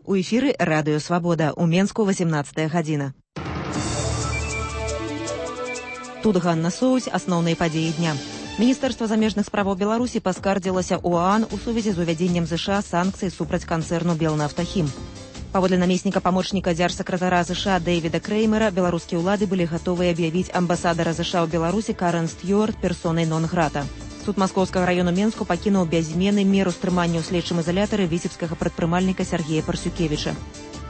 У эфіры Радыё Свабода. У Менску 18 гадзіна. Тут Ганна Соусь, асноўныя падзеі дня. Міністэрства замежных справаў Беларусі паскардзілася ў ААН у сувязі з увядзеннем ЗША санкцый супраць канцэрну «Белнафтахім». Паводле намесніка памочніка дзяржсакратара ЗША Дэвіда Креймера, беларускія ўлады былі гатовы аб'явіць амбасадара ЗША ў Беларусі Карен Стюарт персонай нон-грата. Суд Маскоўскага району Менску пакінуў без змены меру стрымання ў следчым ізалятары віцебскага прадпрымальніка Сергея Парсюкевіча.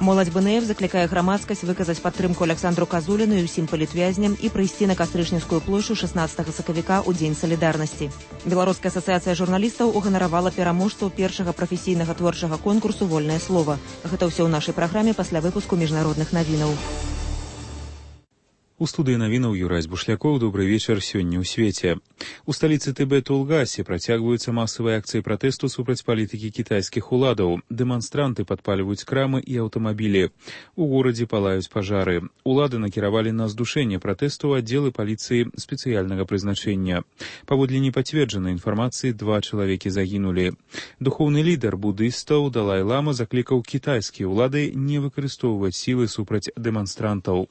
Моладзь БНФ заклікае грамадскасць выказаць падтрымку Александру Казуліну і ўсім палітвязням і прыйсці на Кастрычніцкую плошчу 16 сакавіка ў Дзень салідарнасці. Беларуская асацыяцыя журналістаў уганаравала пераможцаў першага прафесійнага творчага конкурсу «Вольнае слова». Гэта ўсё ў нашай праграме пасля выпуску міжнародных навінаў. У студыі навінаў Юрась Бушлякоў. Добрый вечар сёння ў свеце. У сталіцы Тыбету Лгасе працягваюцца масавыя акцыі пратэсту супраць палітыкі кітайскіх уладаў. Дэманстранты падпальваюць крамы і аўтамабілі. У горадзе палаюць пажары. Улады накіравалі на здушэнне пратэсту аддзелы паліцыі спецыяльнага прызначэння. Паводле непацверджанай інфармацыі 2 чалавекі загінулі. Духоўны лідар будыстаў Далай-лама заклікаў кітайскія ўлады не выкарыстоўваць сілы супраць дэманстрантаў.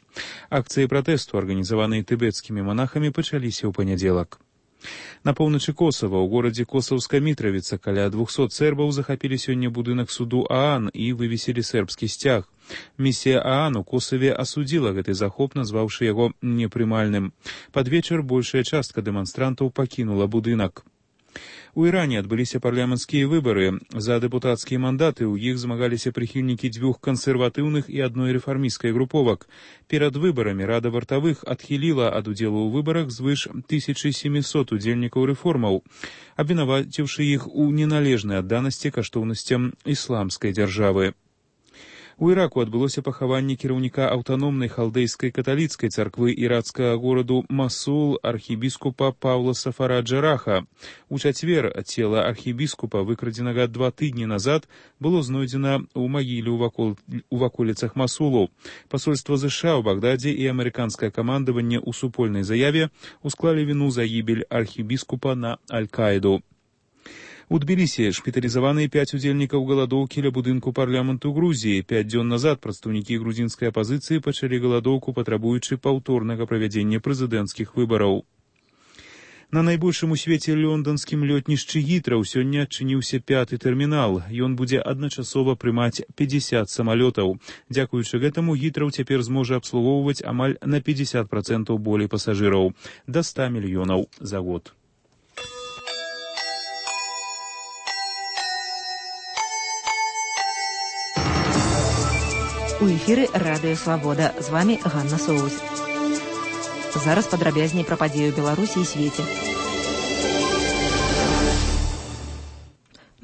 Акцыі пратэсту, арганізаваныя тыбецкімі манахамі, пачаліся ў панядзелак. На поўначы Косава, у горадзе Косаўская Мітравіца, каля 200 сербаў захапілі сёння будынак суду ААН і вывесілі сербскі сцяг. Місія ААН у Косаве асудзіла гэты захоп, назваўшы яго непрымальным. Пад вечар большая частка дэманстрантаў пакінула будынак. У Іране адбыліся парламенцкія выбары. За дэпутацкія мандаты ў іх змагаліся прыхільнікі 2 кансерватыўных і 1 рэфармісцкай груповак. Перад выбарамі Рада вартавых адхіліла ад удзелу ў выбарах звыш 1700 удзельнікаў рэформаў, абвінаваціўшы іх у неналежнай адданасці каштоўнасцям ісламскай дзяржавы. У Іраку адбылося пахаванне кіраўніка аўтаномнай халдэйскай каталіцкай царквы іракскага гораду Масул архібіскупа Паўла Сафара Джараха. У чацвер цела архібіскупа, выкрадзенага 2 тыдні назад, было знойдзена ў магіле ў ваколіцах Масулу. Пасольства ЗША ў Багдадзе і амерыканскае камандаванне ў супольнай заяве усклалі віну за гібель архібіскупа на Аль-Каіду. У Тбілісі шпіталізаваныя 5 удзельнікаў галадоўкі ля будынку парламенту Грузіі. 5 дзён назад прадстаўнікі грузінскай апазіцыі пачалі галадоўку, патрабуючы паўторнага правядзення прэзідэнцкіх выбараў. На найбольшым у свеце лондонскім лётнішчы Гітраў сёння адчыніўся 5-й тэрмінал. Ён будзе адначасова прымаць 50 самалётаў. Дзякуючы гэтаму Гітраў цяпер зможа абслугоўваць амаль на 50% болей пасажыраў, да 100 мільёнаў за год. У эфіры Радыё Свабода. З вамі Ганна Соусь. Зараз падрабязней пра падзею Беларусі і свеце.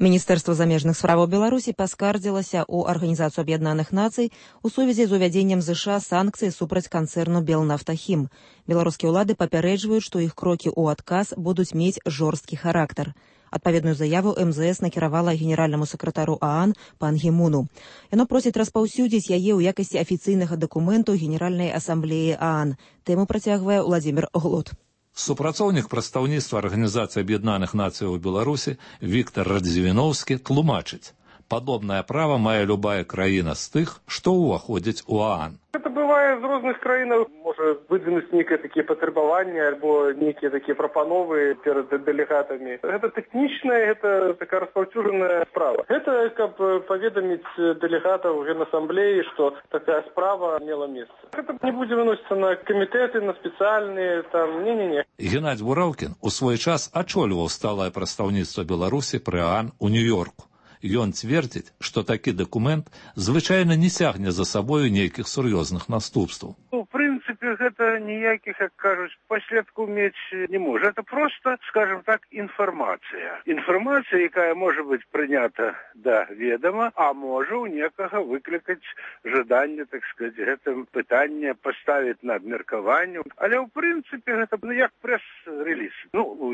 Міністэрства замежных справаў Беларусі паскардзілася ў Арганізацыю Аб'яднаных Нацый у сувязі з увядзеннем ЗША санкцый супраць канцэрну «Белнафтахім». Беларускія ўлады папярэджваюць, што іх крокі ў адказ будуць мець жорсткі характар. Адпаведную заяву МЗС накіравала генеральнаму сакратару ААН пан Гімуну. Яно просіць распаўсюдзіць яе ў якасці афіцыйнага дакументу Генеральнай асамблеі ААН. Тэму працягвае Владзімір Глот. Супрацоўнік прадстаўніцтва Арганізацыі Аб'яднаных Нацыяў у Беларусі Віктар Радзівіноўскі тлумачыць: падобнае права мае любая краіна з тых, што ўваходзіць у ААН. Это бывае з розных краінаў. Можа выдвинуць нейкія такія патрабаванні альбо нейкія такія прапановы перад дэлегатамі. Гэта тэхнічная, гэта такая распаўсюджаная справа. Гэта каб паведаміць дэлегатаў Генасамблеі, што такая справа мела месца. Гэта не будзе выносіцца на камітэты, на спецыяльныя, там, не-не-не. Геннадзь Бураўкін у свой час ачольваў сталае прадстаўніцтва Беларусі пры ААН у Нью-Йорку. Ён цвердзіць, што такі дакумент звычайна не цягне за сабою нейкіх сур'ёзных наступстваў. У прынцыпе, гэта ніякіх, як кажуць, паследкаў мець не можа. Это просто, скажем так, інфармацыя. Інфармацыя, якая можа быць прынята да ведама, а можа ў некага выклікаць жаданне, так сказаць, гэтым пытанне паставіць на абмеркаванне. Але ў прынцыпе гэта як прэс-рэліз.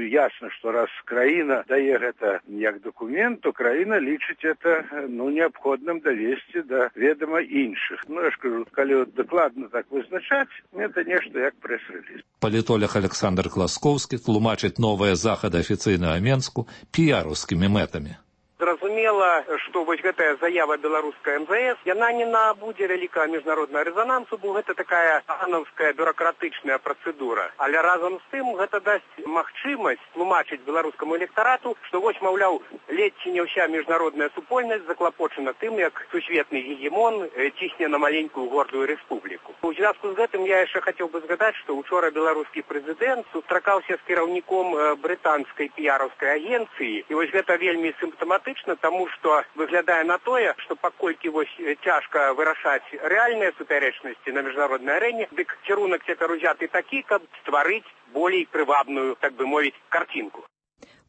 Ясна, што раз краіна дае гэта як дакумент, то краіна лічыць это неабходным давесці да ведама іншых. Я ж кажу, калі дакладна так вызначаць, это нешта як прэс-рэліз. Палітолог Александр Класкоўскі тлумачыць новыя захады афіцыйнага Менску піяраўскімі мэтамі. Зразумела, зразумела, што вось гэтая заява беларуская МЗС, яна не набудзе вялікага міжнароднага рэзанансу, бо гэта такая агановская бюракратычная працэдура. Але разам з тым гэта дасць магчымасць тлумачыць беларускаму электарату, што вось, маўляў, ледзь ці не ўся міжнародная супольнасць заклапочана тым, як сусветны гегемон цісне на маленькую гордую рэспубліку. У звязку з гэтым я яшчэ хацеў бы згадаць, што учора беларускі прэзідэнт сустракаўся з кіраўніком брытанскай піяраўскай агенцыі. І вось гэта вельмі сімптаматычна, таму што выглядае на тое, што паколькі вось цяжка вырашаць рэальныя супярэчнасці на міжнароднай арэне, дык кірунак цяпер узяты такі, каб стварыць болей прывабную, так бы мовіць, карцінку.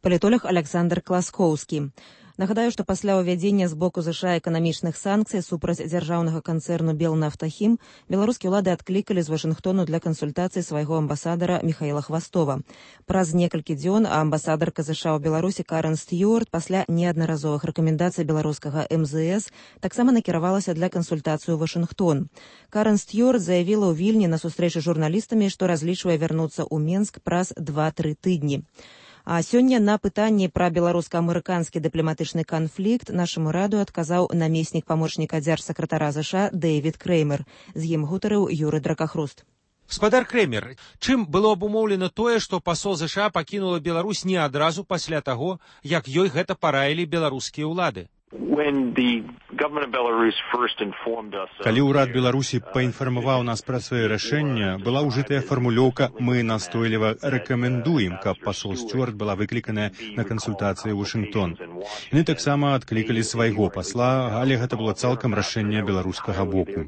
Палітолог Александр Класкоўскі. Нагадаю, што пасля ўвядзення з боку ЗША эканамічных санкцый супраць дзяржаўнага канцэрну «Белнафтахім» беларускія ўлады адклікалі з Вашынгтону для кансультацый свайго амбасадара Міхаіла Хвастова. Праз некалькі дзён амбасадарка ЗША ў Беларусі Карен Стюарт пасля неаднаразовых рэкамендацый беларускага МЗС таксама накіравалася для кансультацыі ў Вашынгтон. Карен Стюарт заявіла ў Вільні на сустрэчы з журналістамі, што разлічвае вярнуцца ў Менск праз 2-3 тыдні. А сёння на пытанні пра беларуска-амерыканскі дыпламатычны канфлікт нашаму раду адказаў намеснік памочніка дзяржсакратара ЗША Дэйвід Крэймер. З ім гутарыў Юры Дракахруст. Гаспадар Крэмер, чым было абумоўлена тое, што пасол ЗША пакінула Беларусь не адразу пасля таго, як ёй гэта параілі беларускія ўлады? Калі ўрад Беларусі паінфармаваў нас пра свае рашэння, была ўжытая фармулёўка «Мы настойліва рэкамендуем», каб пасол Стюарт была выкліканая на кансультацыі ў Вашынгтон. Яны таксама адклікалі свайго пасла, але гэта было цалкам рашэнне беларускага боку.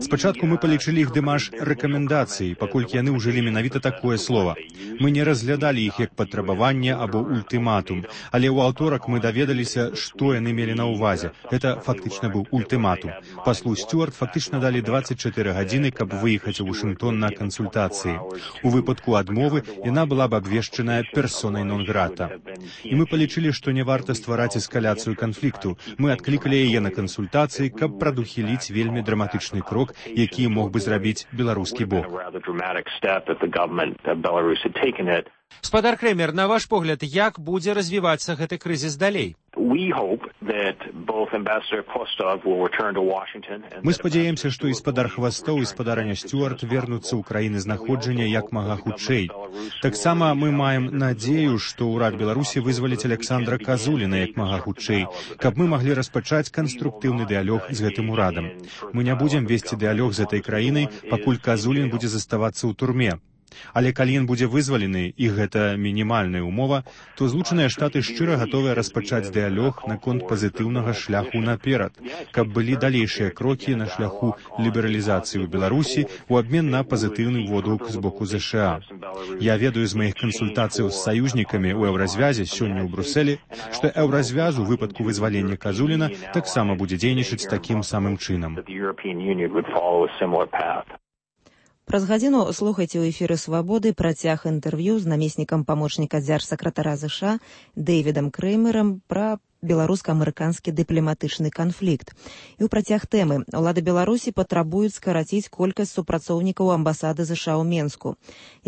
Спачатку мы палічылі іх дэмаш рэкамендацыі, паколькі яны ўжылі менавіта такое слова. Мы не разглядалі іх як патрабаванне або ультыматум, але ў аўторак мы даведаліся, што яны мелі на ўвазе. Гэта фактычна быў ультыматум. Паслу Стюарт фактычна далі 24 гадзіны, каб выехаць у Вашынгтон на кансультацыі. У выпадку адмовы яна была б абвешчаная персонай нон-грата. І мы палічылі, што не варта ствараць эскаляцыю канфлікту. Мы адклікалі яе на кансультацыі, каб прадухіліць вельмі драматычны крок, які мог бы зрабіць беларускі бок. Гаспадар Крэмер, на ваш погляд, як будзе развівацца гэты крызіс далей? Мы спадзяемся, што і спадар Хвастоў і спадарня Стюарт вернуцца ў краіны знаходжання як мага хутчэй. Таксама мы маем надзею, што ўрад Беларусі вызваліць Александра Казуліна як мага хутчэй, каб мы маглі распачаць канструктыўны дыялог з гэтым урадам. Мы не будзем весці дыялог з гэтай краінай, пакуль Казулін будзе заставацца ў турме. Але калі ён будзе вызвалены, і гэта мінімальная ўмова, то Злучаныя Штаты шчыра гатовыя распачаць дыялог наконт пазітыўнага шляху наперад, каб былі далейшыя крокі на шляху лібералізацыі ў Беларусі ў абмен на пазітыўны водгук з боку ЗША. Я ведаю з маіх кансультацыяў з саюзнікамі ў Еўразвязе сёння ў Брусэлі, што Еўразвяз у выпадку вызвалення Казуліна таксама будзе дзейнічаць такім самым чынам. Праз гадзіну слухайце ў эфіры «Свабоды» працяг інтэрв'ю з намеснікам памочніка дзяржсакратара ЗША Дэйвідам Крэймерам пра беларуска-амерыканскі дыпламатычны канфлікт. І ў працяг тэмы ўлады Беларусі патрабуюць скараціць колькасць супрацоўнікаў амбасады ЗША ў Менску.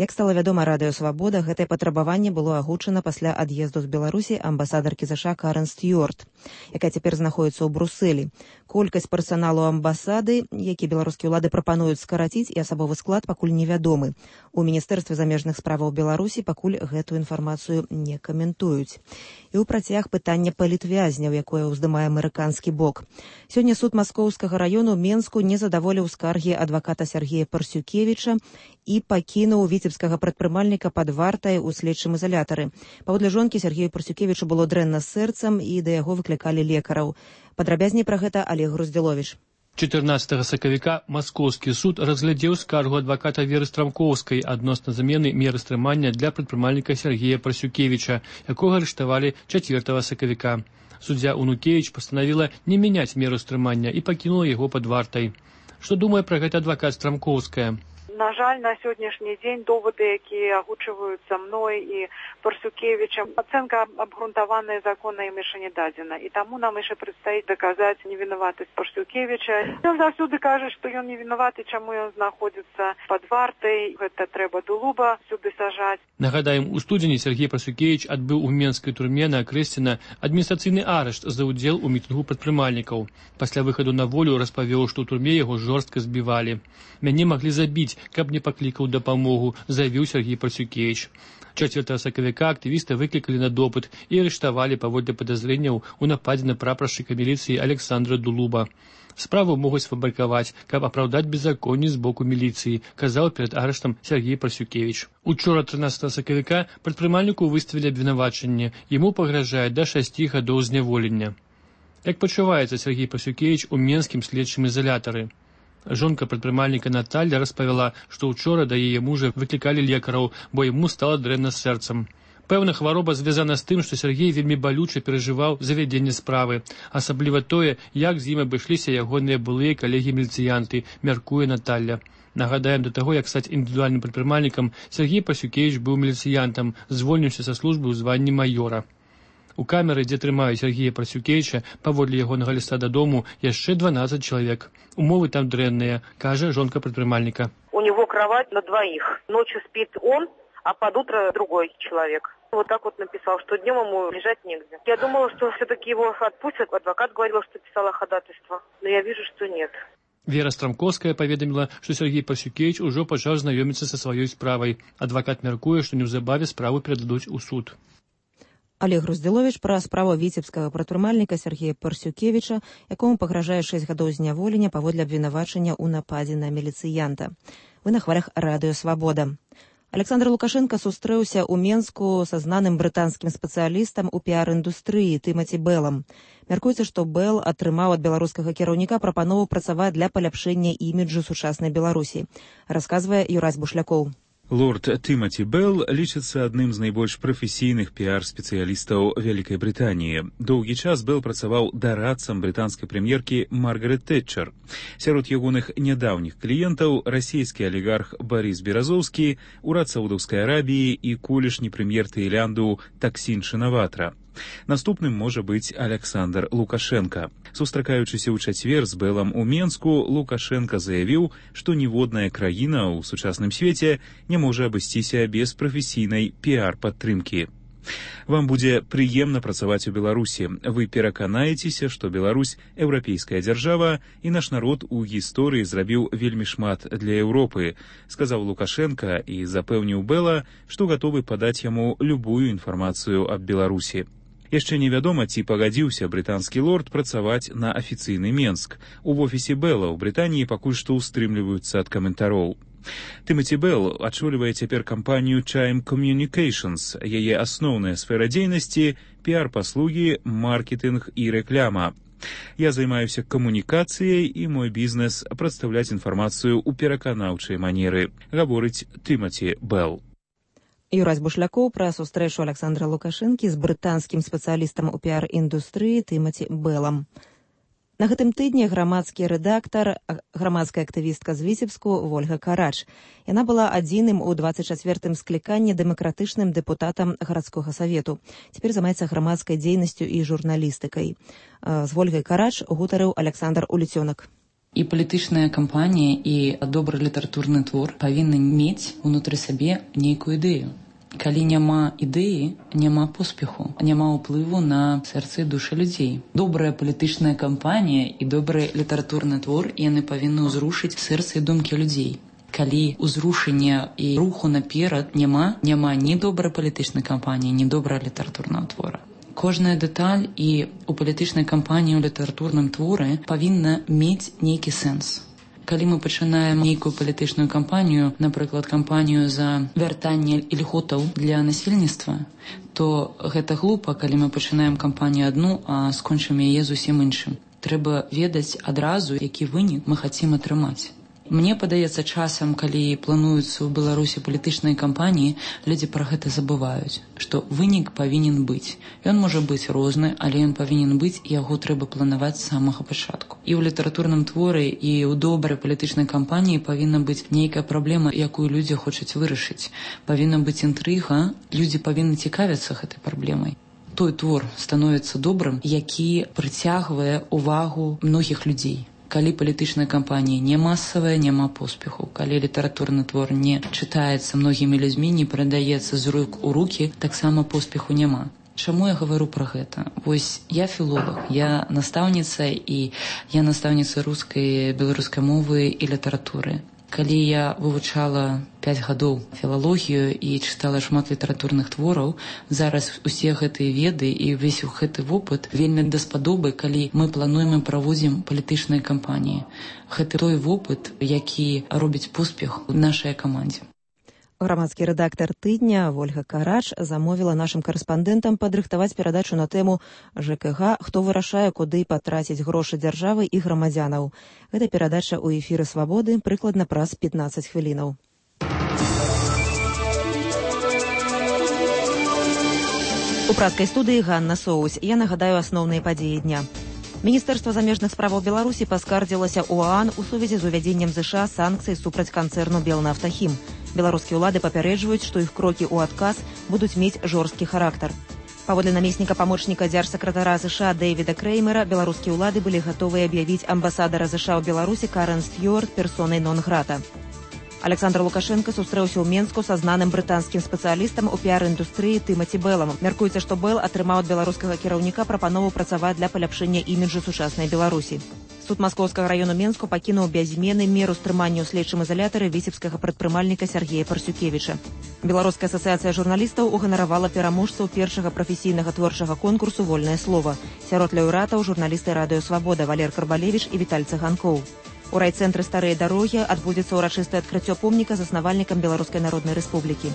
Як стала вядома радыё «Свабода», гэтае патрабаванне было агучана пасля ад'езду з Беларусі амбасадаркі ЗША Карен Стюарт, якая цяпер знаходзіцца ў Брусэлі. Колькасць персаналу амбасады, які беларускія ўлады прапануюць скараціць, і асабовы склад пакуль невядомы. У Міністэрстве замежных справаў Беларусі пакуль гэтую інфармацыю не каментуюць. І ў працяг пытання палітвязняў, якое ўздымае амерыканскі бок. Сёння суд Маскоўскага раёну Менску не задаволіў скаргі адваката Сергея Парсюкевіча і пакінуў віцебскага прадпрымальніка пад вартай у следчым изолятары. Паводле жонкі Сергею Парсюкевічу было дрэнна з сэрцам і да яго выклікалі лекараў. Падрабязней пра гэта Олег Груздзіловіч. 14 сакавіка Маскоўскі суд разглядзеў скаргу адваката Веры Страмкоўскай адносна замены меры стрымання для прадпрымальніка Сергея Парсюкевіча, якога арыштавалі 4 сакавіка. Суддзя Унукевіч пастанавіла не мяняць меру стрымання і пакінула яго пад вартай. Што думае пра гэта адвакат Страмкоўская? На жаль, на сённяшні дзень доводы, якія агучваюцца мной і Парсюкевічам, ацэнка абгрунтаваная законна ім яшчэ не дадзена. І таму нам яшчэ прадстаіць даказаць невінаватасць Парсюкевіча. Ён заўсёды кажа, што ён не вінаваты, чаму ён знаходзіцца пад вартай. Гэта трэба Дулуба сюды сажаць. Нагадаем, у студзені Сергей Парсюкевіч адбыў у менскай турме на Акрэсціна адміністрацыйны арышт за ўдзел у мітынгу прадпрымальнікаў. Пасля выхаду на волю распавёў, што ў турме яго жорстка збівалі. Мяне маглі забіць, каб не паклікаў дапамогу, заявіў Сергей Парсюкевіч. 4 сакавіка актывіста выклікалі на допыт і арыштавалі паводле падазрэнняў у нападзе на прапаршчыка міліцыі Александра Дулуба. Справу могуць сфабрыкаваць, каб апраўдаць беззаконне з боку міліцыі, казаў перад арыштам Сергей Парсюкевіч. Учора 13 сакавіка прадпрымальніку выставілі абвінавачанне. Яму пагражае да 6 гадоў зняволення. Як пачуваецца Сергей Парсюкевіч у менскім следчым ізалятары? Жонка прадпрымальніка Наталья распавяла, што ўчора да яе мужа выклікалі лекараў, бо яму стала дрэнна з сэрцам. Пэўна, хвароба звязана з тым, што Сергей вельмі балюча перажываў завядзенне справы, асабліва тое, як з ім абышліся ягоныя былыя калегі-міліцыянты, мяркуе Наталья. Нагадаем, да таго, як стаць індывідуальным прадпрымальнікам, Сергей Парсюкевіч быў міліцыянтам, звольніўся са службы ў званні маёра. У камеры, дзе трымаюць Сергея Парсюкевіча, паводле ягонага ліста дадому, яшчэ 12 чалавек. Умовы там дрэнныя, кажа жонка прадпрымальніка. У него кровать на двоих. Ночью спит он, а под утро другой человек. Вот так вот написал, что днем ему лежать негде. Я думала, что все-таки его отпустят. Адвокат говорил, что писала ходатайство. Но я вижу, что нет. Вера Страмковская паведаміла, што Сергей Парсюкевіч ужо пачаў знаёміцца са сваёй справай. Адвакат мяркуе, што неўзабаве справу перададуць у суд. Олег Груздзіловіч пра справу віцебскага прадпрымальніка Сергея Парсюкевіча, якому пагражае 6 гадоў зняволення паводле абвінавачання ў нападзе на міліцыянта. Вы на хвалях радыё «Свабода». Александр Лукашенко сустрэўся ў Менску са знаным брытанскім спецыялістам у піар-індустрыі Тымаці Бэлам. Мяркуецца, што Бэл атрымаў ад беларускага кіраўніка прапанову працаваць для паляпшэння іміджу сучаснай Беларусі, расказвае Юрась Бушлякоў. Лорд Тимати Белл лічыцца адным з найбольш прафесійных піар-спецыялістаў Вялікай Брытаніі. Доўгі час Белл працаваў дарадцам брытанскай прэм'еркі Маргарет Тэтчер. Сярод ягоных нядаўніх кліентаў расійскі алігарх Барыс Беразоўскі, урад Саудаўскай Арабіі і колішні прэм'ер Таілянду Таксін Шинаватра. Наступным можа быць Александр Лукашенко. Сустракаючыся ў чацвер з Бэлам у Менску, Лукашенко заявіў, што ніводная краіна ў сучасным свеце не можа абысціся без прафесійнай піар-падтрымкі. Вам будзе прыемна працаваць у Беларусі. Вы пераканаецеся, што Беларусь – еўрапейская дзяржава, і наш народ у гісторыі зрабіў вельмі шмат для Еўропы, сказаў Лукашенко і запэўніў Бэла, што гатовы падаць яму любую інфармацыю аб Беларусі. Яшчэ невядома, ці пагадзіўся брытанскі лорд працаваць на афіцыйны Менск. У офісе Бэла ў Брытаніі пакуль што ўстрымліваюцца ад каментароў. Тимати Белл ачолівае цяпер кампанію Chime Communications. Яе асноўная сфера дзейнасці – піар-паслугі, маркетынг і рэкляма. Я займаюся камунікацыяй і мой бізнес – прадстаўляць інфармацыю ў пераканаўчай манеры, гаворыць Тимати Белл. Юрась Бушлякоў пра сустрэчу Александра Лукашэнкі з брытанскім спецыялістам у піар-індустрыі Тимати Беллам. На гэтым тыдні грамадскі рэдактар, грамадская актывістка з Віцебску Вольга Карач. Яна была адзіным у 24-м скліканні дэмакратычным дэпутатам гарадскога савету. Цяпер займаецца грамадскай дзейнасцю і журналістыкай. З Вольгай Карач гутарыў Александр Уліцёнак. І палітычная кампанія, і добры літаратурны твор павінны мець унутры сабе нейкую ідэю. Калі няма ідэі, няма поспеху, няма ўплыву на сэрцы і душы людзей. Добрая палітычная кампанія і добры літаратурны твор, яны павінны ўзрушыць сэрцы і думкі людзей. Калі ўзрушення і руху наперад няма ні добрай палітычнай кампаніі, ні добрая літаратурнага твора. Кожная дэталь і у палітычнай кампаніі, у літаратурным творы павінна мець нейкі сэнс. Калі мы пачынаем нейкую палітычную кампанію, напрыклад, кампанію за вяртанне ільготаў для насельніцтва, то гэта глупа, калі мы пачынаем кампанію адну, а скончым яе зусім іншым. Трэба ведаць адразу, які вынік мы хацім атрымаць. Мне падаецца, часам, калі плануюцца ў Беларусі палітычныя кампаніі, людзі пра гэта забываюць, што вынік павінен быць. Ён можа быць розны, але ён павінен быць, і яго трэба планаваць з самага пачатку. І ў літаратурным творы, і ў добрай палітычнай кампаніі павінна быць нейкая праблема, якую людзі хочуць вырашыць. Павінна быць інтрыга, людзі павінны цікавіцца гэтай праблемай. Той твор становіцца добрым, які прыцягвае увагу многіх людзей. Калі палітычная кампанія не масавая, няма поспеху. Калі літаратурны твор не чытаецца многімі людзьмі, не перадаецца з рук у рукі, таксама поспеху няма. Чаму я гавару пра гэта? Вось я філолог, я настаўніца, і я настаўніца рускай, беларускай мовы і літаратуры. Калі я вывучала 5 гадоў філалогію і чытала шмат літаратурных твораў, зараз усе гэтыя веды і ўвесь гэты вопыт вельмі даспадобы, калі мы плануем і праводзім палітычныя кампаніі. Гэта той вопыт, які робіць поспех у нашай камандзе. Грамадскі рэдактар тыдня Вольга Карач замовіла нашым карэспандэнтам падрыхтаваць перадачу на тэму ЖКГ, хто вырашае, куды патраціць грошы дзяржавы і грамадзянаў. Гэта перадача ў эфіры Свабоды прыкладна праз 15 хвілінаў. У пражскай студыі Ганна Соусь. Я нагадаю асноўныя падзеі дня. Міністэрства замежных справаў Беларусі паскардзілася ў ОАН у сувязі з увядзеннем ЗША санкцый супраць канцэрну «Белнафтахім». Беларускія ўлады папярэджваюць, што іх крокі ў адказ будуць мець жорсткі характар. Паводле намесніка памочніка дзяржсакратара ЗША Дэвіда Крэймера, беларускія ўлады былі гатовыя аб'явіць амбасадара ЗША ў Беларусі Карен Стюарт персонай нон-грата. Александр Лукашенко сустрэўся ў Менску са знаным брытанскім спецыялістам у піар-індустрыі Тымаці Бэлам. Мяркуецца, што Бэл атрымаў ад беларускага кіраўніка прапанову працаваць для паляпшэння іміджу сучаснай Беларусі. Суд Маскоўскага району Менску пакінуў без змены меру стрымання ў следчым изалятары віцебскага прадпрымальніка Сергея Парсюкевіча. Беларуская асацыяцыя журналістаў уганаравала пераможцаў першага прафесійнага творчага конкурсу «Вольнае слова». Сярод лаўрэатаў журналісты радыё «Свабода» Валер Карбалевіч і Віталь Цыганкоў. У райцэнтры «Старыя дарогі» адбудзецца ўрачыстае адкрыццё помніка заснавальнікам Беларускай Народнай Рэспублікі.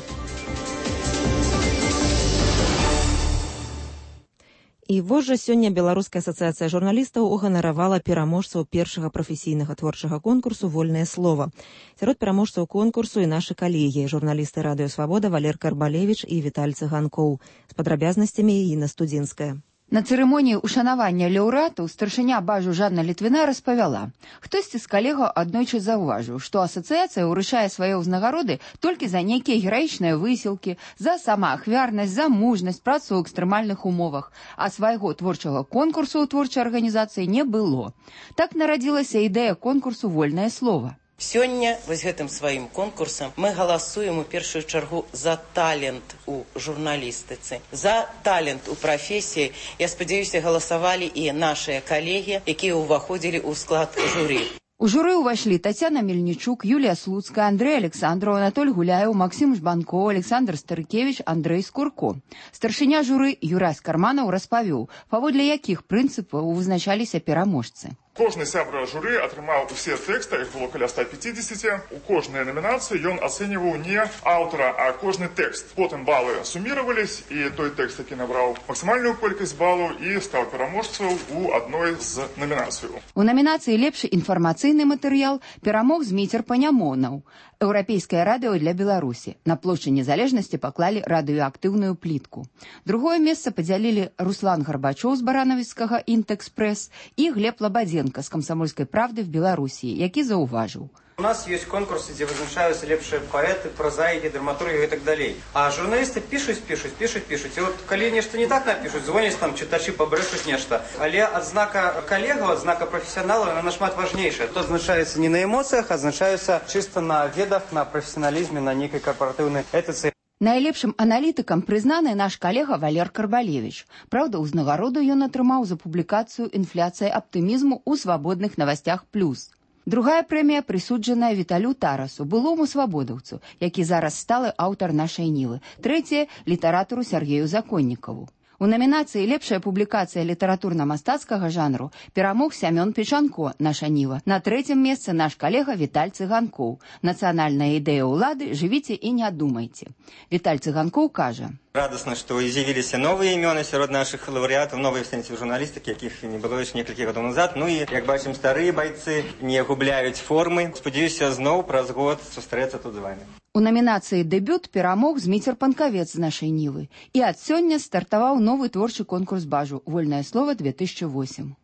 І вось жа сёння Беларуская асацыяцыя журналістаў уганаравала пераможцаў першага прафесійнага творчага конкурсу «Вольнае слова». Сярод пераможцаў конкурсу і нашы калегі, журналісты радыё «Свабода» Валер Карбалевіч і Віталь Цыганкоў. З падрабязнасцямі Інна Студзінская. На цырымоніі ўшанавання лаўрэатаў старшыня бажу Жанна Літвіна распавяла. Хтосьці з калегаў аднойчы заўважыў, што асацыяцыя ўручае свае ўзнагароды толькі за нейкія гераічныя высілкі, за самаахвярнасць, за мужнасць, працу ў экстрэмальных умовах, а свайго творчага конкурсу ў творчай арганізацыі не было. Так нарадзілася ідэя конкурсу «Вольнае слова». Сёння вось гэтым сваім конкурсам мы галасуем у першую чаргу за талент у журналістыцы, за талент у прафесіі. Я спадзяюся, галасавалі і нашыя калегі, якія ўваходзілі ў склад журы. У журы ўвайшлі Тацяна Мельнічук, Юлія Слуцкая, Андрэй Александраў, Анатоль Гуляеў, Максім Жбанко, Александр Старыкевіч, Андрэй Скурко. Старшыня журы Юрась Карманаў распавёў, паводле якіх прынцыпаў вызначаліся пераможцы. Кожны сябра журы атрымаў усе тэксты, іх было каля 150. У кожнай намінацыі ён ацэньваў не аўтара, а кожны тэкст. Потым балы суміравались, і той тэкст, які набраў максімальную колькасць балаў, і стаў пераможцаў у адной з намінацыяў. У намінацыі «Лепшы інфармацыйны матэрыял» перамог Зміцер Панямонаў. Еўрапейскае радыё для Беларусі. На плошчы Незалежнасці паклалі радыёактыўную плітку. Другое месца падзялілі Руслан Гарбачоў з баранавіцкага «Інтэкспрэс» і Глеб Лабадзенка з «Камсамольскай правды» в Беларусі, які заўважыў. У нас есть конкурсы, где вызначаются лепшие поэты, прозаики, драматурги и так далее. А журналисты пишут. И вот, коли нечто не так напишут, звонят там, читачи побрешут нечто. Але от знака коллега, от знака профессионала, она нашмат важнейшая. Это означается не на эмоциях, а означается чисто на ведах, на профессионализме, на некой корпоративной этице. Найлепшым аналітыкам прызнаны наш калега Валер Карбалевіч. Праўда, ўзнагароду ён атрымаў за публікацыю «Інфляцыя аптымізму» ў «Свабодных новостях плюс». Другая прэмія прысуджаная Віталю Тарасу, былому свабодаўцу, які зараз сталы аўтар нашай Нівы. Трэцяя – літаратару Сергею Законнікаву. У намінацыі «Лепшая публікацыя літаратурна-мастацкага жанру» перамог Сямён Печанко, «Наша Ніва». На трэцім месцы наш калега Віталь Цыганкоў. «Нацыянальная ідэя ўлады. Жывіце і не думайце». Віталь Цыганкоў кажа: Радостно, что з'явились новые имена среди наших лауреатов, новые в сенсе журналистики, яких не было еще несколько годов назад. Ну и, как бачим, старые бойцы не губляют формы. Сподіваюся, знову праз год сустрэцца тут з вами. У намінацыі «Дэбют» перамог Зміцер Панкавец з «Нашай Нівы». І ад сёння стартаваў новы творчы конкурс «Бажу» «Вольнае слова 2008».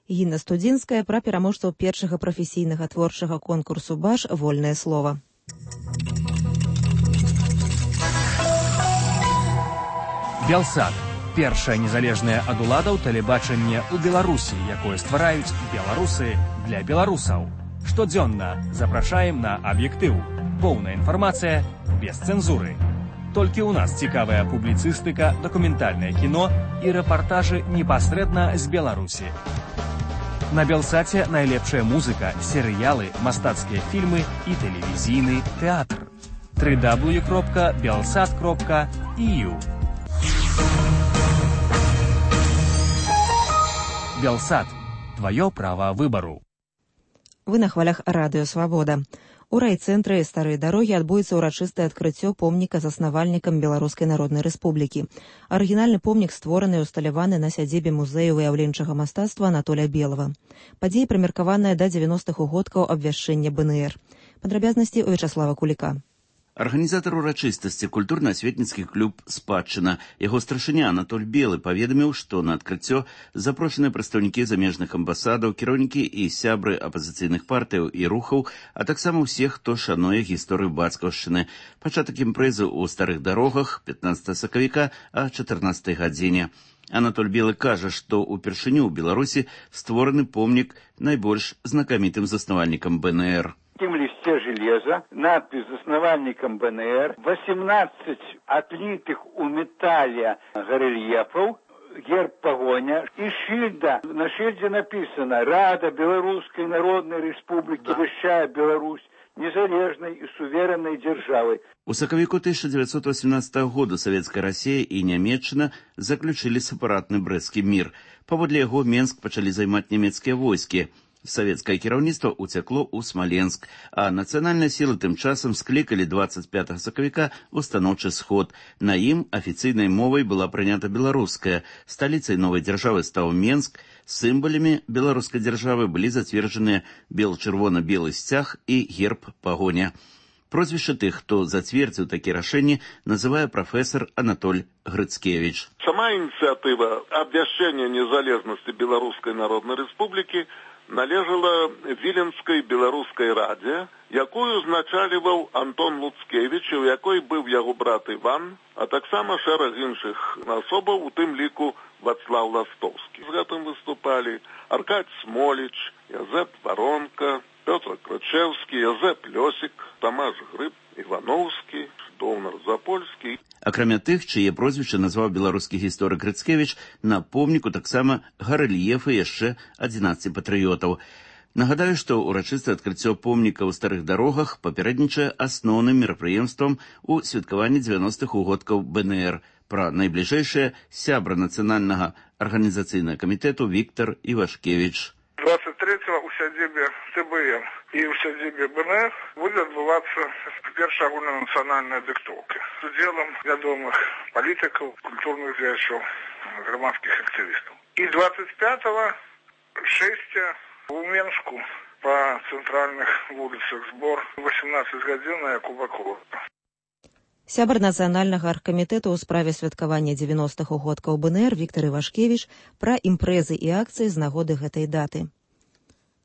Інна Студзінская пра пераможцаў першага прафесійнага творчага конкурсу «Баж» «Вольнае слова». Белсат. Першае незалежнае ад уладаў тэлебачанне ў Беларусі, якое ствараюць беларусы для беларусаў. Штодзённа запрашаем на аб'ектыў. Поўная інфармацыя без цэнзуры. Толькі ў нас цікавая публіцыстыка, дакументальнае кіно і рэпартажы непасрэдна з Беларусі. На Белсаце найлепшая музыка, серыялы, мастацкія фільмы і тэлевізійны тэатр. www.belsat.eu Белсат. Твоё право выбору. Вы на хвалях радыё «Свабода». У райцэнтры Старой дарогі адбудзецца ўрачыстае адкрыццё помніка заснавальнікам Беларускай Народнай Рэспублікі. Арыгінальны помнік створаны і усталяваны на сядзібе музею выяўленчага мастацтва Анатоля Белава. Падзея прымеркаваная да 90-х годкаў абвяшчэння БНР. Падрабязнасці у Вячаслава Куліка. Арганізатар урачыстасці культурна-асветніцкі клуб «Спадчына». Яго старшыня Анатоль Белы паведаміў, што на адкрыццё запрошаныя прадстаўнікі замежных амбасадаў, кіраўнікі і сябры апазіцыйных партыяў і рухаў, а таксама ўсе, хто шануе гісторыю бацькаўшчыны. Пачатак імпрэзы ў Старых дарогах 15 сакавіка о 14 гадзіне. Анатоль Белы кажа, што ўпершыню ў Беларусі створаны помнік найбольш знакамітым заснавальнікам БНР. В листе железа надпись «Заснавальником БНР», 18 отлитых у металля горельефов, герб погоня и шильда. На шильде написано «Рада Белорусской Народной Республики обещает Беларусь незалежной и суверенной державой». У сакавіку 1918 года Савецкая Расія і Нямецчына заключылі сепаратны брэсцкі мір. Паводле яго Менск пачалі займаць нямецкія войскі. Савецкае кіраўніцтва ўцякло ў Смаленск, а нацыянальныя сілы тым часам склікалі 25 сакавіка ў станоўчы сход. На ім афіцыйнай мовай была прынята беларуская. Сталіцай новай дзяржавы стаў Менск. Сімвалямі беларускай дзяржавы былі зацверджаныя бел-чырвона-белы сцяг і герб пагоня. Прозвішча тых, хто зацвердзіў такія рашэнні, называе прафесор Анатоль Грыцкевич. Сама ініцыятыва абвяшчэння незалежнасці Беларускай Народнай Рэспублікі належала Віленскай беларускай радзе, якую узначаліваў Антон Луцкевіч, у якой быў яго брат Іван, а таксама шэраг іншых асобаў, у тым ліку Вацлаў Ластовскі. З гэтым выступалі Аркадь Смоліч, Язэп Варонка, Пётр Крычэўскі, Язэп Лёсік, Тамаш Грыб, Івановскі, Доўнар Запольскі. Акрамя тых, чые прозвішчы назваў беларускі гісторык Грыцкевіч, на помніку таксама гарэльефы яшчэ 11 патрыётаў. Нагадаю, што ўрачыстае адкрыццё помніка ў Старых дарогах папярэднічае асноўным мерапрыемствам у святкаванні 90-х угодкаў БНР. Пра найбліжэйшае сябра нацыянальнага арганізацыйнага камітэту Віктор Івашкевіч. 23-го у сядзібе ТБН і ў сядзібе БНР будзе адбывацца першая агульнанацыянальная дыктоўка з удзелам вядомых палітыкаў, культурных дзеячоў, грамадскіх актывістаў. І 25-го шэсця у Менску па цэнтральных вуліцах збор 18 гадзін на Якуба. Сябар нацыянальнага аргкамітэту ў справе святкавання 90-х угодкаў БНР Віктор Івашкевіч пра імпрэзы і акцыі з нагоды гэтай даты.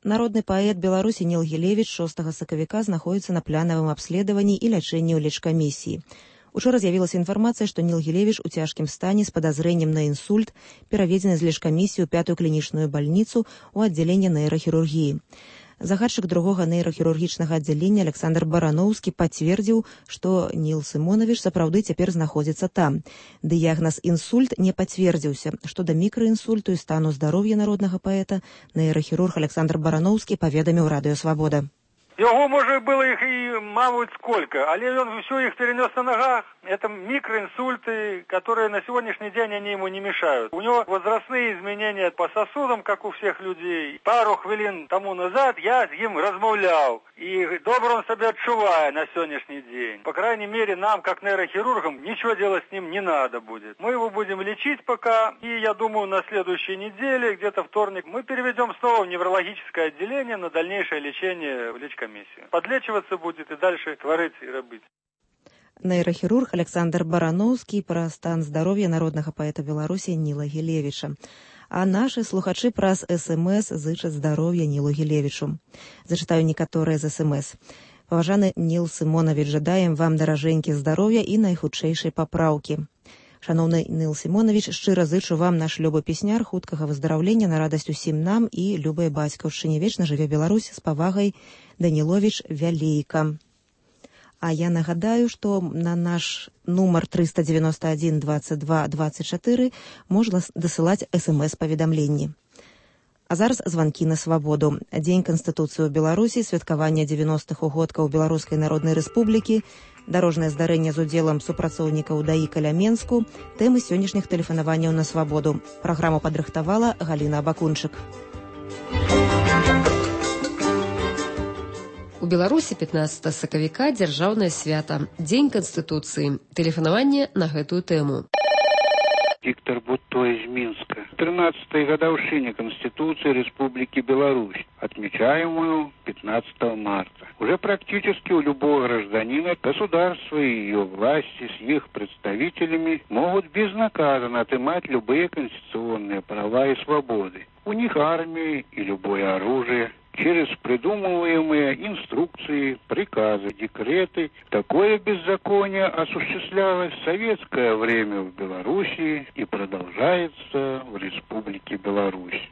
Народны паэт Беларусі Ніл Гілевіч 6 сакавіка знаходзіцца на планавым абследаванні і лячэнні ў лечкамісіі. Учора з'явілася інфармацыя, што Ніл Гілевіч у цяжкім стане з падазрэннем на інсульт пераведзены з лечкамісіі ў 5-ю клінічную бальніцу ў аддзяленне нейрахірургіі. Загадчык другога нейрахірургічнага аддзялення Александр Барановскі пацвердзіў, што Ніл Сымонавіч сапраўды цяпер знаходзіцца там. Дыягназ інсульт не пацвердзіўся. Што да мікраінсульту і стану здароўя народнага паэта, нейрахірург Александр Барановскі паведаміў радыё «Свабода». Яго, можа, было іх і, мабуть, сколько, але ён усё іх перенёс на нагах. Это микроинсульты, которые на сегодняшний день они ему не мешают. У него возрастные изменения по сосудам, как у всех людей. Пару хвилин тому назад я с ним размовлял. И добре он себя отчувает на сегодняшний день. По крайней мере, нам, как нейрохирургам, ничего делать с ним не надо будет. Мы его будем лечить пока. И я думаю, на следующей неделе, где-то вторник, мы переведем снова в неврологическое отделение на дальнейшее лечение в лечкомиссию. Подлечиваться будет и дальше творить и робить. Нейрахірург Александр Барановскі пра стан здароўя народнага паэта Беларусі Ніла Гілевіча. А нашы слухачы праз СМС зычаць здароўя Нілу Гілевічу. Зачытаю некаторыя з СМС. Паважаны Ніл Сімонавіч, жадаем вам даражэнькі здароўя і найхутчэйшай папраўкі. Шановны Ніл Сімонавіч, шчыра зычу вам, наш любы песняр, хуткага выздараўлення на радасць усім нам і любай бацькаўшчыне. Вечна жыве Беларусь, з павагай, Даніловіч Вялейка. А я нагадаю, што на наш нумар 391 22 24 можна дасылаць СМС-паведамленні. А зараз званкі на свабоду. Дзень Канстытуцыі ў Беларусі, святкаванне 90-х угодкаў Беларускай Народнай Рэспублікі, дарожнае здарэнне з удзелам супрацоўнікаў ДАІ каля Менску, тэмы сённяшніх тэлефанаванняў на свабоду. Праграму падрыхтавала Галіна Абакунчык. У Беларусі 15 сакавіка дзяржаўнае свята, Дзень Канстытуцыі. Тэлефанаванне на гэтую тэму. Виктор Бутто из Минска. 13-й годовщине Конституции Республики Беларусь, отмечаемую 15 марта. Уже практически у любого гражданина государство и ее власти с их представителями могут безнаказанно отымать любые конституционные права и свободы. У них армия и любое оружие. Через придумываемые инструкции, приказы, декреты. Такое беззаконие осуществлялось в советское время в Белоруссии и продолжается в Республике Беларусь.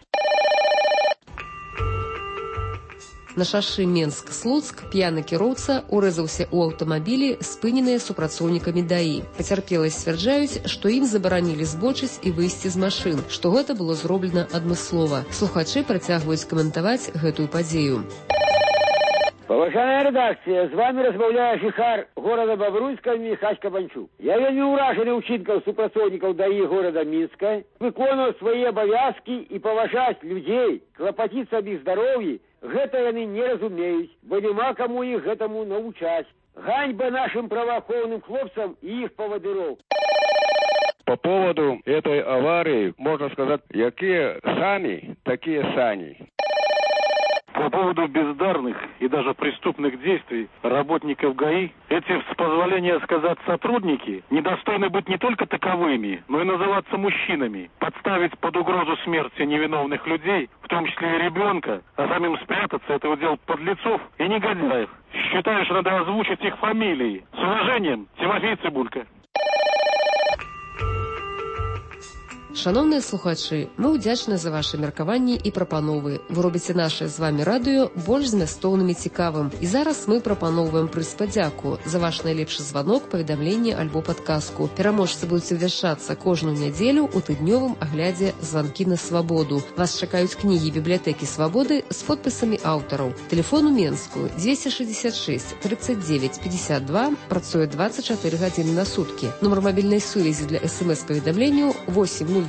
На шашы Менск-Слуцк п'яны кіроўца урэзаўся ў аўтамабілі, спыненыя супрацоўнікамі ДАІ. Пацярпелыя сцвярджаюць, што ім забаранілі збочыць і выйсці з машын, што гэта было зроблена адмыслова. Слухачы працягваюць каментаваць гэтую падзею. Поважаная редакція, з вами розмовляє жихар города Бобруйська Михась Кабанчук. Я вельмі уражений учинком супрацовников ДАИ города Минска, виконувати свої обов'язки і поважати людей, клопотіться об їх здоров'ї, гэта яны не разумеюць, бо нема кому их гэтаму научать. Ганьба нашим правоохранным хлопцам и их поводыров. По поводу этой аварии можно сказать, какие сами, такие сани. По поводу бездарных и даже преступных действий работников ГАИ, эти, с позволения сказать, сотрудники недостойны быть не только таковыми, но и называться мужчинами, подставить под угрозу смерти невиновных людей, в том числе и ребенка, а самим спрятаться — это удел подлецов и негодяев. Считаю, что надо озвучить их фамилии. С уважением, Тимофей Цибулько. Шановныя слухачы, мы ўдзячны за ваши меркаванні і прапановы. Вы робіце наше з вами радыё больш змястоўным і цікавым. І зараз мы прапаноўваем прыз падзяку за ваш найлепшы званок, паведамленне альбо падказку. Пераможцы будуць абвяшчацца кожную нядзелю ў тыднёвым аглядзе «Званкі на свабоду». Вас чакаюць кнігі бібліятэкі свабоды з подпісамі аўтараў. Тэлефон у Менску 266 39 52, працуе 24 гадзіны на суткі. Нумар мабільнай сувязі для СМС-паведамленняў 8023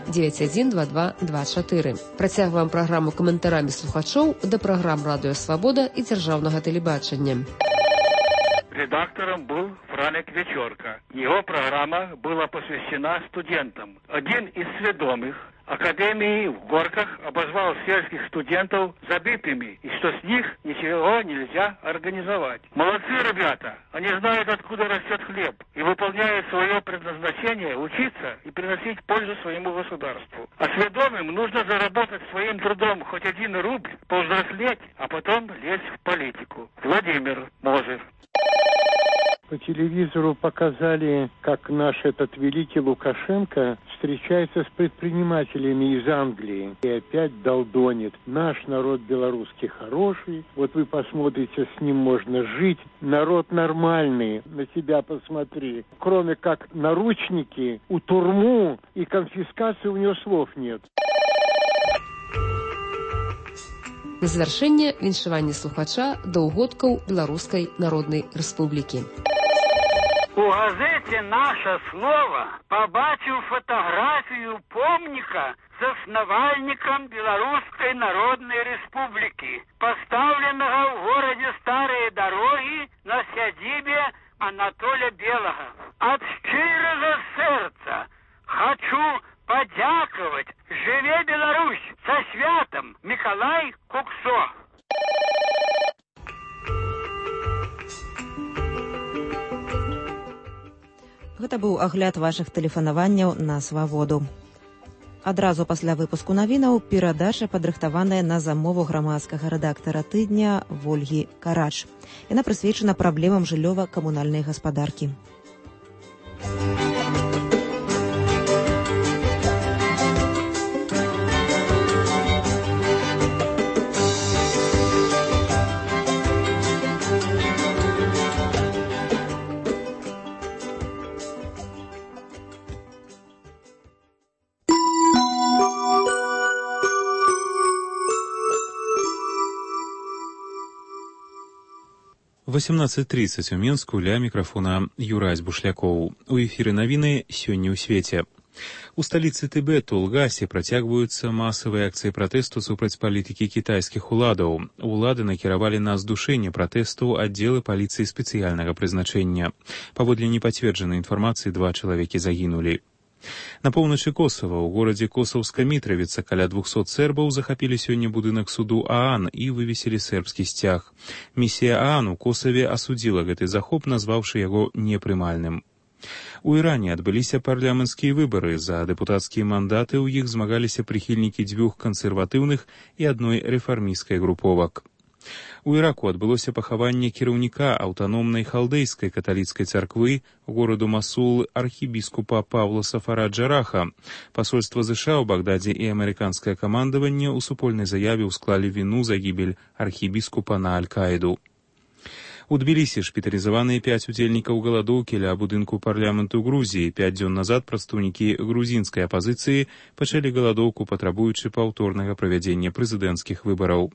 9122 24. Працягваем праграму каментарамі слухачоў да праграм «Радыё Свабода» і дзяржаўнага тэлебачання. Редактором был Франик Вечерка. Его программа была посвящена студентам. Один из сведомых Академии в Горках обозвал сельских студентов забитыми, и что с них ничего нельзя организовать. Молодцы ребята, они знают, откуда растет хлеб, и выполняют свое предназначение учиться и приносить пользу своему государству. А сведомым нужно заработать своим трудом хоть 1 рубль, повзрослеть, а потом лезть в политику. Владимир Мозырь. По телевизору показали, как наш этот великий Лукашенко встречается с предпринимателями из Англии и опять долдонит. Наш народ белорусский хороший, вот вы посмотрите, с ним можно жить. Народ нормальный, на себя посмотри. Кроме как наручники, у турму и конфискации у него слов нет. На завяршэнне віншаванне слухача да ўгодкаў Беларускай Народнай Рэспублікі. У газете «Наше слово» побачив фотографию помника заснавальникам Белорусской Народной Республики, поставленного в городе Старые Дороги на сядибе Анатолия Белого. От щирого сердца хочу подяковать. Живе Беларусь! Со святом! Миколай Куксо. Гэта быў агляд вашых тэлефанаванняў на свабоду. Адразу пасля выпуску навінаў перадача, падрыхтаваная на замову грамадскага рэдактара тыдня Вольгі Карач. Яна прысвечана праблемам жыллёва-камунальнай гаспадаркі. В 18:30 у Менску ля мікрафона Юрась Бушлякоў. У эфіры навіны сёння ў свеце. У сталіцы Тыбет у Лгасе працягваюцца масавыя акцыі пратэсту супраць палітыкі кітайскіх уладаў. Улады накіравалі на здушэнне пратэсту аддзелы паліцыі спецыяльнага прызначэння. Паводле непацверджанай інфармацыі 2 чалавекі загінулі. На поўначы Косава, у горадзе Косаўска-Мітравіца, каля 200 сербаў захапілі сёння будынак суду ААН і вывесілі сербскі сцяг. Місія ААН у Косаве асудзіла гэты захоп, назваўшы яго непрымальным. У Іране адбыліся парламенцкія выбары. За дэпутацкія мандаты ў іх змагаліся прыхільнікі 2 кансерватыўных і 1 рэфармісцкай груповак. У Іраку адбылося пахаванне кіраўніка аўтаномнай халдэйскай каталіцкай царквы гораду Масул архібіскупа Павла Сафара Джараха. Пасольства ЗША ў Багдадзе і амерыканскае камандаванне ў супольнай заяве ўсклалі віну за гібель архібіскупа на Аль-Каіду. У Тбілісі шпіталізаваныя 5 удзельнікаў галадоўкі ля будынку парламенту Грузіі. 5 дзён назад прадстаўнікі грузінскай апазіцыі пачалі галадоўку, патрабуючы паўторнага правядзення прэзідэнцкіх выбараў.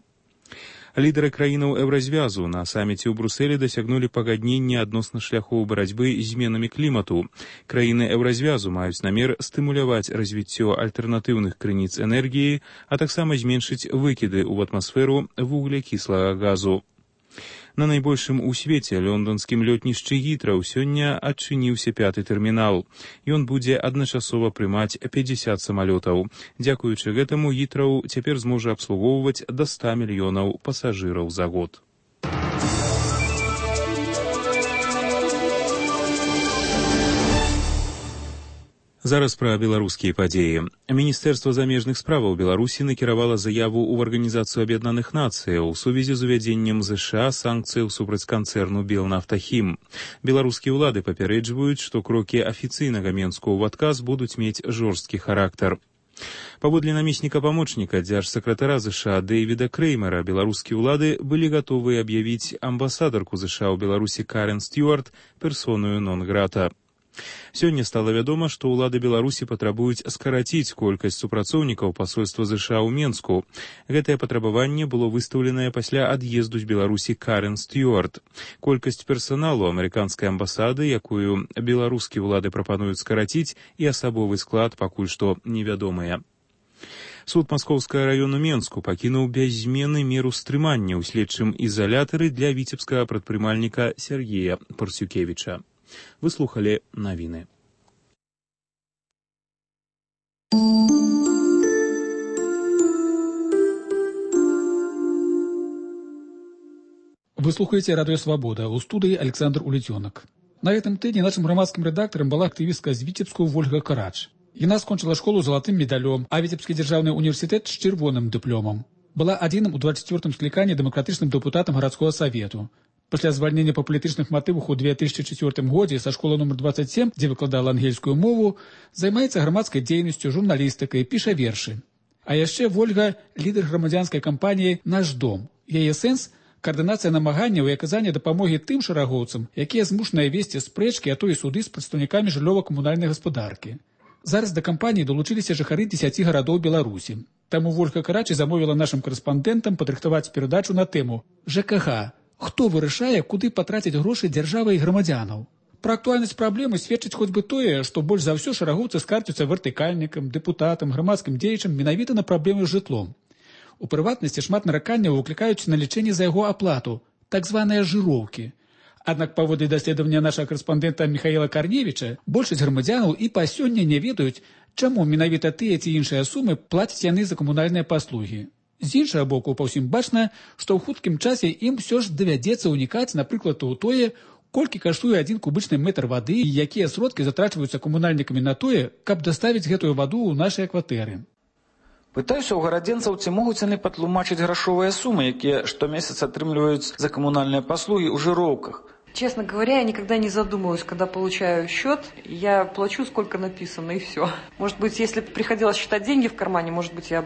Лідары краінаў Еўразвязу на саміце ў Брусэлі дасягнулі пагаднення адносна шляхоў барацьбы з зменамі клімату. Краіны Еўразвязу маюць намер стымуляваць развіццё альтэрнатыўных крыніц энергіі, а таксама зменшыць выкіды ў атмасферу вуглякіслага газу. На найбольшым у свеце лондонскім лётнішчы Гітроў сёння адчыніўся 5-й тэрмінал. Ён будзе адначасова прымаць 50 самалётаў. Дзякуючы гэтаму Гітроў цяпер зможа абслугоўваць да 100 мільёнаў пасажыраў за год. Зараз пра беларускія падзеі. Міністэрства замежных справаў Беларусі накіравала заяву ў Арганізацыю Аб'яднаных Нацыяў у сувязі з увядзеннем ЗША санкцыяў супраць канцэрну Белнафтахім. Беларускія ўлады папярэджваюць, што крокі афіцыйнага Менску ў адказ будуць мець жорсткі характар. Паводле намесніка-памочніка дзяржсакратара ЗША Дэйвіда Креймера, беларускія ўлады былі гатовы аб'явіць амбасадарку ЗША ў Беларусі Карен Стюарт персонаю нон-грата. Сёння стала вядома, што ўлады Беларусі патрабуюць скараціць колькасць супрацоўнікаў пасольства ЗША ў Менску. Гэтае патрабаванне было выстаўленае пасля ад'езду з Беларусі Карен Стюарт. Колькасць персаналу амерыканскай амбасады, якую беларускія ўлады прапануюць скараціць, і асабовы склад пакуль што невядомыя. Суд Маскоўскага раёну Менску пакінуў без змены меру стрымання ў следчым ізалятары для віцебскага прадпрымальніка Сергея Парсюкевіча. Вы слухали навіны. Вы слухаете «Радио Свобода», у студии Александр Улетенок. На этом тыдні нашим громадским редактором была активистка з Витебску Вольга Карач. Яна скончила школу золотым медалем, а Витебский державный университет с червоным дипломом. Была адзіным у 24-м скліканні дэмакратычным дэпутатам гарадскога савету. Пасля звальнення па палітычных матывах у 2004 годзе са школы номер 27, дзе выкладала ангельскую мову, займаецца грамадскай дзейнасцю, журналістыкай, піша вершы. А яшчэ Вольга – лідар грамадзянскай кампаніі «Наш дом». Яе сэнс – каардынацыя намаганняў і аказання дапамогі тым шарагоўцам, якія змушаныя весці спрэчкі, а то і суды з прадстаўнікамі жыллёва-камунальнай гаспадаркі. Зараз да кампаніі далучыліся жыхары 10 гарадоў Беларусі. Таму Вольга Карач замовіла нашым карэспандэнтам падрыхтаваць перадачу на тэму ЖКХ. Хто вырашае, куды патраціць грошы дзяржавы і грамадзянаў? Пра актуальнасць праблемы сведчыць хоць бы тое, што больш за ўсё шарагоўцы скарцяцца вертыкальнікам, дэпутатам, грамадскім дзеячам менавіта на праблемы з жытлом. У прыватнасці шмат нараканняў выклікаюць на лічэнне за яго аплату, так званыя жыроўкі. Аднак паводле даследавання нашага карэспандэнта Михаіла Карневіча, большасць грамадзянаў і па сёння не ведаюць, чаму менавіта тыя ці іншыя сумы плацяць яны за камунальныя паслугі. З іншага боку, па ўсім бачна, што ў хуткім часе ім усё ж давядзецца ўнікаць, напрыклад, у тое, колькі каштуе 1 кубычны метр вады і якія сродкі затрачваюцца камунальнікамі на тое, каб даставіць гэтую ваду ў нашыя кватэры. Пытаюся ў гарадзенцаў, ці могуць яны патлумачыць грашовыя сумы, якія штомесяц атрымліваюць за камунальныя паслугі ў жыроўках. Честно говоря, я никогда не задумываюсь, когда получаю счет, я плачу, сколько написано, и все. Может быть, если бы приходилось считать деньги в кармане, может быть, я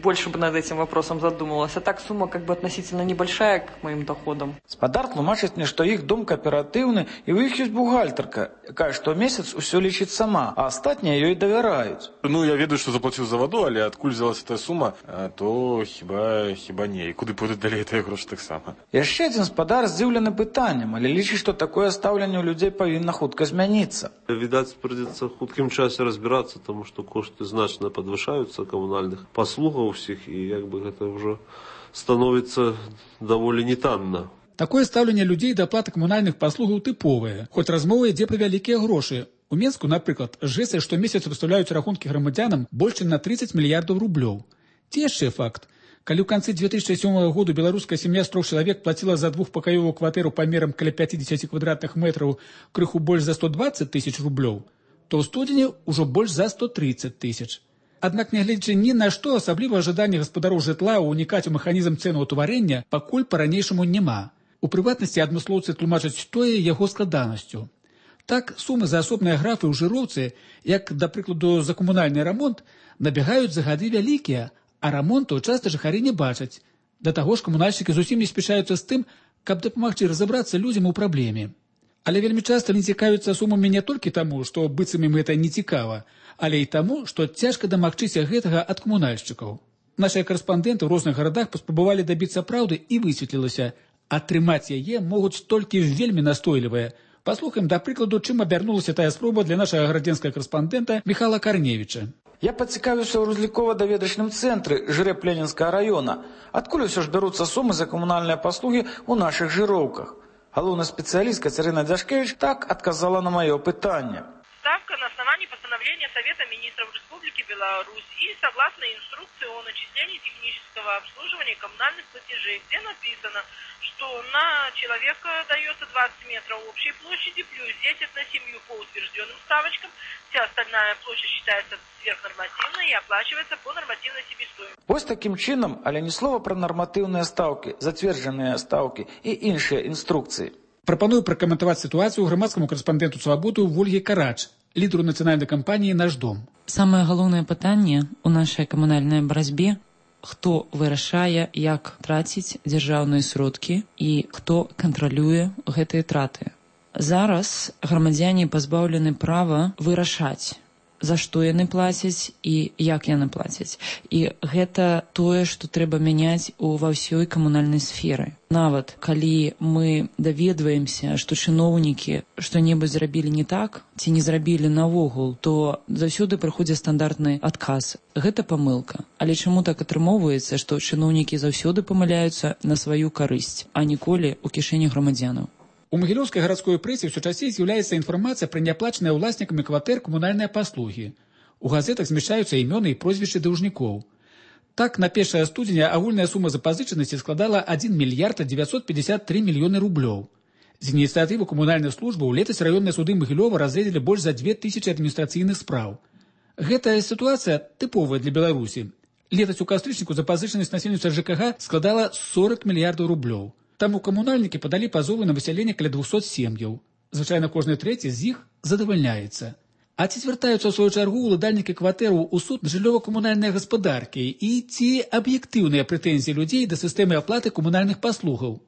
больше бы над этим вопросом задумалась. А так сумма как бы относительно небольшая к моим доходам. Спадар тлумачыць мне, што іх дом кааператыўны, і ў іх ёсць бухгалтарка, якая штомесяц усё лічыць сама, а астатнія ёй давяраюць. Ну, я ведаю, што заплаціў за ваду, але адкуль взялася тая сума, то хіба не. І куды пойдуць далей тыя грошы таксама. Яшчэ адзін спадар здзіўлены пытаннем, але лічыць, што такое стаўленне ў людзей павінна хутка змяніцца. Відаць, придется в хуткім часе разбираться, тому што кошты значна падвышаюцца камунальных паслугаў усіх, і як бы гэта ўжо становіцца даволі нетанна. Такое стаўленне людзей да аплаты камунальных паслугаў тыповае, хоць размова ідзе пра вялікія грошы. У Менску, напрыклад, ЖЭСы штомесяц выстаўляюць рахункі грамадзянам больш чым на 30 мільярдаў рублёў. Ці яшчэ факт. Калі ў канцы 2007 году беларуская сям'я з 3 чалавек плаціла за двухпакаёвую кватэру памерам каля 50 квадратных метраў крыху больш за 120 тысяч рублёў, то ў студзені ўжо больш за 130 тысяч. Аднак, нягледзячы ні на што, асабліва жаданне гаспадароў жытла ўнікаць у механізм цэнаўтварэння пакуль па-ранейшаму няма. У прыватнасці адмыслоўцы тлумачаць тое яго складанасцю. Так, сумы за асобныя графы ў жыроўцы, як, да прыкладу, за камунальны рамонт, набягаюць за гады вялікія, а рамонту часта жыхары не бачаць. Да таго ж камунальшчыкі зусім не спяшаюцца з тым, каб дапамагчы разабрацца людзям у праблеме. Але вельмі часта не цікавяцца сумамі не толькі таму, што быццам ім гэта не цікава, але і таму, што цяжка дамагчыся гэтага ад камунальшчыкаў. Нашыя карэспандэнты ў розных гарадах паспрабавалі дабіцца праўды і высветлілася, атрымаць яе могуць толькі вельмі настойлівыя. Паслухаем, да прыкладу, чым абярнулася тая спроба для нашага гарадзенскага карэспандэнта Михайла Карневіча. Я пацікавіўся ў разлікова-даведачным цэнтры ЖРЭП Ленінскага района. Адкуль усё ж бяруцца сумы за камунальныя паслугі ў нашых жыроўках? Галоўны спецыяліст Кацярына Дзяшкевіч так адказала на маё пытанне. Ставка на основании постановления Совета министров Республики Беларусь и согласно инструкции о начислении технического обслуживания коммунальных платежей, где написано, что на человека дается 20 метров общей площади плюс 10 на семью по утвержденным ставочкам. Вся остальная площадь считается сверхнормативной и оплачивается по нормативной себестоимости. Вось таким чином, але ні слова про нормативные ставки, затвердженные ставки и іншыя инструкции. Прапаную пракаментаваць сітуацыю грамадскаму карэспандэнту «Свабоду» Вольгі Карач, лідару нацыянальнай кампаніі «Наш дом». Самае галоўнае пытанне ў нашай камунальнай барацьбе – хто вырашае, як траціць дзяржаўныя сродкі і хто кантралюе гэтыя траты. Зараз грамадзяне пазбаўлены права вырашаць, за што яны плацяць і як яны плацяць. І гэта тое, што трэба мяняць ва ўсёй камунальнай сферы. Нават калі мы даведваемся, што чыноўнікі што-небудзь зрабілі не так, ці не зрабілі наогул, то заўсёды прыходзіць стандартны адказ. Гэта памылка. Але чаму так атрымоўваецца, што чыноўнікі заўсёды памыляюцца на сваю карысць, а ніколі ў кішэні грамадзянаў? У магілёўскай гарадской прэсе ўсё часцей з'яўляецца інфармацыя пра няплачаныя ўласнікамі кватэр камунальныя паслугі. У газетах змяшчаюцца імёны і прозвішчы даўжнікоў. Так, на 1 студзеня агульная сума запазычанасці складала 1 мільярд 953 мільёны рублёў. З ініцыятывы камунальных службаў летась раённыя суды Магілёва разгледзелі больш за 2000 адміністрацыйных спраў. Гэтая сітуацыя тыповая для Беларусі. Летась у кастрычніку запазычанасць насельніцтва ЖКХ складала 40 мільярдаў рублёў. Таму камунальнікі падалі пазовы на высяленне каля 200 сем'яў. Звычайна кожны трэці з іх задавальняецца. А ці звяртаюцца ў сваю чаргу ўладальнікі кватэраў у суд жыллёва-камунальнай гаспадаркі і ці аб'ектыўныя прэтэнзіі людзей да сістэмы аплаты камунальных паслугаў?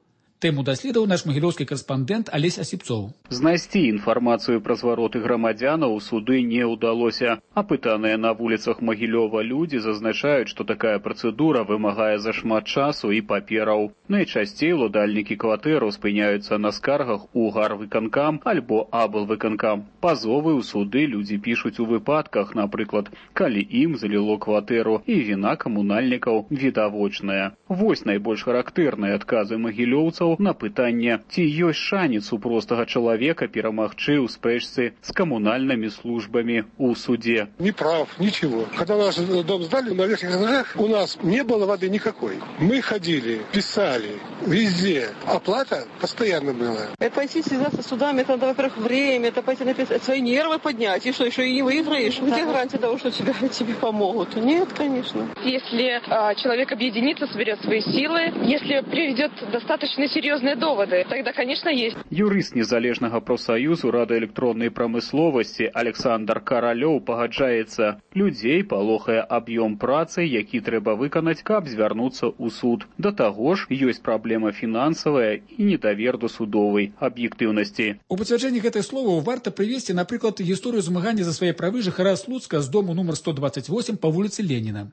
Тэму даследаў наш магілёўскі карэспандэнт Алесь Асіпцоў. Знайсці інфармацыю пра звароты грамадзянаў у суды не ўдалося. Апытаныя на вуліцах Магілёва людзі зазначаюць, што такая працэдура вымагае зашмат часу і папераў. Найчасцей уладальнікі кватэраў спыняюцца на скаргах у гарвыканкам альбо аблвыканкам. Пазовы ў суды людзі пішуць у выпадках, напрыклад, калі ім заліло кватэру, і віна камунальнікаў відавочная. Вось найбольш характэрныя адказы магілёўцаў на пытанне, ці ёсць шанец у простага чалавека перамагчы ў спрэчцы з камунальнымі службамі ў суде. Не прав, ничего. Когда наш дом сдали на верхних этажах, у нас не было воды никакой. Мы ходили, писали, везде. Оплата постоянно была. Это пойти связаться с судами, это, во-первых, время, это пойти написать, свои нервы поднять, и что, еще и не выиграешь? Где гарантия того, что тебе помогут? Нет, конечно. Если человек объединится, соберет свои силы, если приведет достаточно серьезные доводы, тогда, конечно, есть. Юрыст незалежнага профсаюзу радыёэлектроннай прамысловасці Александр Каралёў пагаджаецца. Людзей палохае аб'ём працы, які трэба выканаць, каб звярнуцца ў суд. Да таго ж, ёсць праблема фінансавая і недавер да судовай аб'ектыўнасці. У пацвярджэнні гэтых словаў варта прывесці, напрыклад, гісторыю змагання за свае правы жыхара Слуцка з дому нумар 128 па вуліцы Леніна.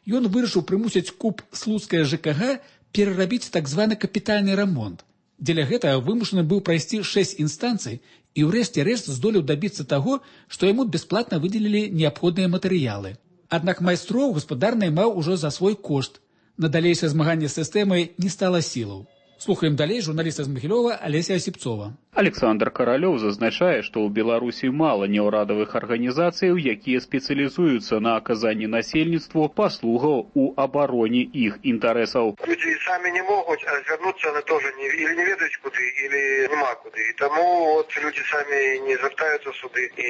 Ён вырашыў прымусіць КУП Слуцкае ЖКГ перарабіць так званы капітальны рамонт. Дзеля гэтага вымушаны быў прайсці 6 інстанцый і ўрэшце рэшт здолеў дабіцца таго, што яму бясплатна выдзелілі неабходныя матэрыялы. Аднак майстроў гаспадар наймаў ужо за свой кошт. На далейшае змаганне з сістэмай не стала сілаў. Слухаем далей журналіста з Магілёва Алеся Асіпцова. Александр Каралёў зазначае, што ў Беларусі мала неўрадавых арганізацый, якія спецыялізуюцца на аказанні насельніцтву паслугаў у абароне іх інтарэсаў. Людзі самі не могуць, а звярнуцца на тоже или не ведаюць куды, или няма куды. І таму людзі самі не звяртаюцца суды, і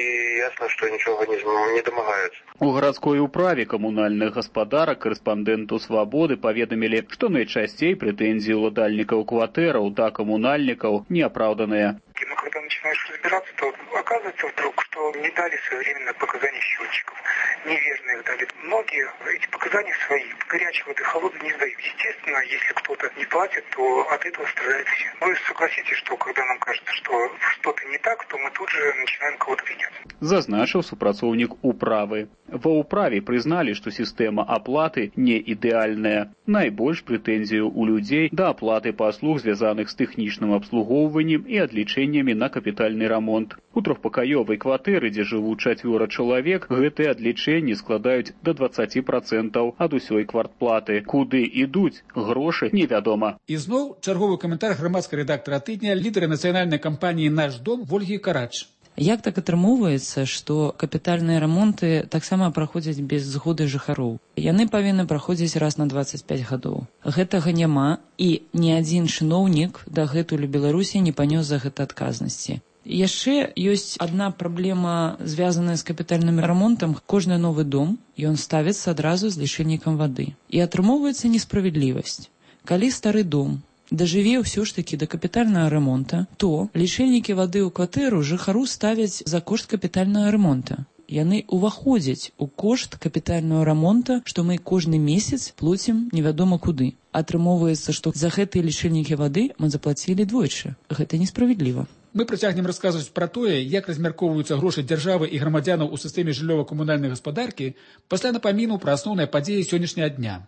ясна, што нічога не дамагаюцца. У гарадской управе камунальных гаспадарак корэспандэнту «Свабоды» паведамілі, што найчасцей прэтэнзіі ўладальнікаў кватэраў да коммунальников неоправданные. Но когда начинаешь разбираться, то оказывается вдруг, что не дали своевременно показания счетчиков, неверно их дали. Многие эти показания свои, горячей воды, холодной не сдают. Естественно, если кто-то не платит, то от этого страдают все. Вы согласитесь, что когда нам кажется, что что-то не так, то мы тут же начинаем кого-то винять. Зазначыў супрацоўнік управы. Ва управе прызналі, што сістэма аплаты не ідэальная. Найбольш прэтэнзію ў людзей да аплаты паслуг, звязаных з тэхнічным абслугоўваннем і адлічэннямі на капітальны рамонт. У трохпакаёвай кватэры, дзе жывуць 4 чалавек, гэтыя адлічэнні складаюць да 20% ад усёй квартплаты. Куды ідуць грошы, невядома. І зноў чарговы каментар грамадскага рэдактара тыдня, лідара нацыянальнай кампаніі «Наш дом» Вольгі Карач. Як так атрымоўваецца, што капітальныя рамонты таксама праходзяць без згоды жыхароў? Яны павінны праходзіць раз на 25 гадоў. Гэтага няма, і ні адзін чыноўнік дагэтуль у Беларусі не панёс за гэта адказнасці. Яшчэ ёсць адна праблема, звязаная з капітальным рамонтам. Кожны новы дом, ён ставіцца адразу з лічыльнікам вады. І атрымоўваецца несправядлівасць. Калі стары дом дажыве ўсё ж такі да капітальнага рамонта, то лічыльнікі вады ў кватэру жыхару ставяць за кошт капітальнага рамонта. Яны ўваходзяць у кошт капітальнага рамонта, што мы кожны месяц плоцім невядома куды. Атрымоўваецца, што за гэтыя лічыльнікі вады мы заплацілі двойчы. Гэта несправядліва. Мы працягнем расказваць пра тое, як размяркоўваюцца грошы дзяржавы і грамадзянаў у сістэме жыллёва-камунальнай гаспадаркі пасля напаміну пра асноўныя падзеі сённяшняга дня.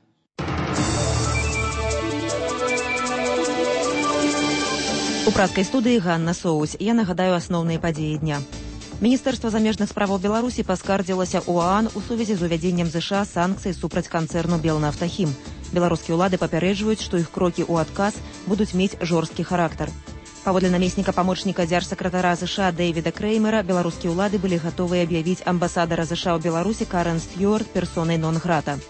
У праскай студыі Ганна Соусь. Я нагадаю асноўныя падзеі дня. Міністэрства замежных справаў Беларусі паскардзілася ў ОАН у сувязі з увядзеннем ЗША санкцый супраць канцэрну «Белнафтахім». Беларускія ўлады папярэджваюць, што іх крокі ў адказ будуць мець жорсткі характар. Паводле намесніка памочніка дзяржсакратара ЗША Дэвіда Крэймера, беларускія ўлады былі гатовыя аб'явіць амбасадара ЗША ў Беларусі Карен Стюарт персонай нон-грата.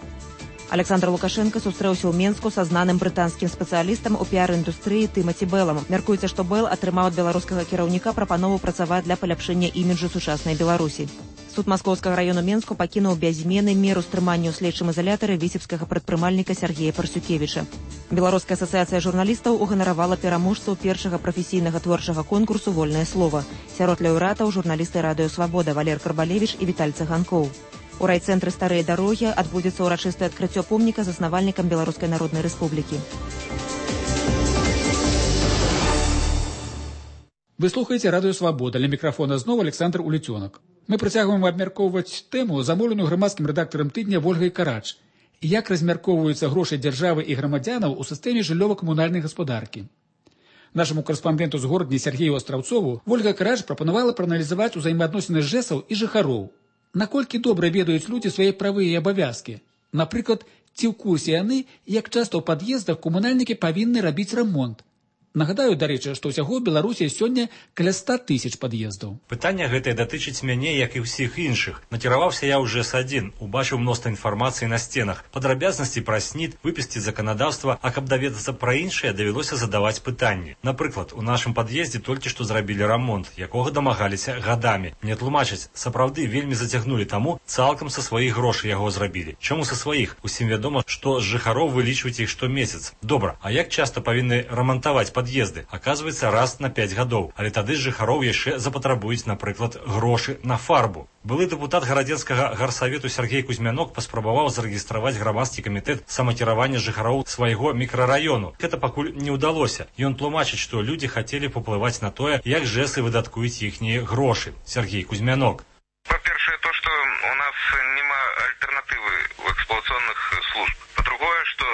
Александр Лукашенко сустрэўся ў Менску са знаным брытанскім спецыялістам у піар-індустрыі Тымаці Бэлам. Мяркуецца, што Бэл атрымаў ад беларускага кіраўніка прапанову працаваць для паляпшэння іміджу сучаснай Беларусі. Суд Маскоўскага раёну Менску пакінуў без змены меру стрымання ў следчым ізалятары віцебскага прадпрымальніка Сергея Парсюкевіча. Беларуская асацыяцыя журналістаў уганаравала пераможцаў першага прафесійнага творчага конкурсу «Вольнае слова». Сярод лаўрэатаў журналісты радыё «Свабода» Валер Карбалевіч і Віталь Цыганкоў. У райцэнтры «Старыя дарогі» адбудзецца ўрачыстае адкрыццё помніка заснавальнікам Беларускай Народнай Рэспублікі. Вы слухаеце радыё Свабода. Ля мікрафона зноў Александр Улецёнак. Мы працягваем абмяркоўваць тэму, замоўленую грамадскім рэдактарам тыдня Вольгай Карач. Як размяркоўваюцца грошы дзяржавы і грамадзянаў у сістэме жыллёва-камунальнай гаспадаркі. Нашаму карэспандэнту з горадні Сергею Астраўцову Вольга Карач прапанавала прааналізаваць узаемаадносіны жэсаў і жыхароў. Наколькі добра ведаюць людзі свае правы і абавязкі? Напрыклад, ці ў курсе яны, як часта ў пад'ездах камунальнікі павінны рабіць рамонт? Нагадаю, дарэчы, што ўсяго ў Беларусі сёння каля 100 000 пад'ездаў. Пытанне гэтае датычыць мяне, як і ўсіх іншых. Накіраваўся я ў ЖЭС-1, убачыў мноства інфармацыі на сценах, падрабязнасці пра СНІД, выпісці заканадаўства, а каб даведацца пра іншае, давялося задаваць пытанні. Напрыклад, у нашым пад'ездзе толькі што зрабілі рамонт, якога дамагаліся гадамі. Мне тлумачаць, сапраўды вельмі зацягнулі таму, цалкам са сваіх грошай яго зрабілі. Чаму са сваіх? Усім вядома, што з жыхароў вылічваюць іх штомесяц. Добра, а як часта павінны рамантаваць пад'езды? Аказваецца, раз на 5 гадоў, але тады з жыхароў яшчэ запатрабуюць, напрыклад, грошы на фарбу. Былы дэпутат гарадзенскага гарсавету Сергей Кузьмянок паспрабаваў зарэгістраваць грамадскі камітэт самакіравання жыхароў свайго мікрараёну. Гэта пакуль не ўдалося. Ён тлумачыць, што людзі хацелі паўплываць на тое, як жэсы выдаткуюць іхнія грошы. Сергей Кузьмянок. По-першае, то, што у нас няма альтэрнатывы ў эксплуатацыйных служб. По-другое, што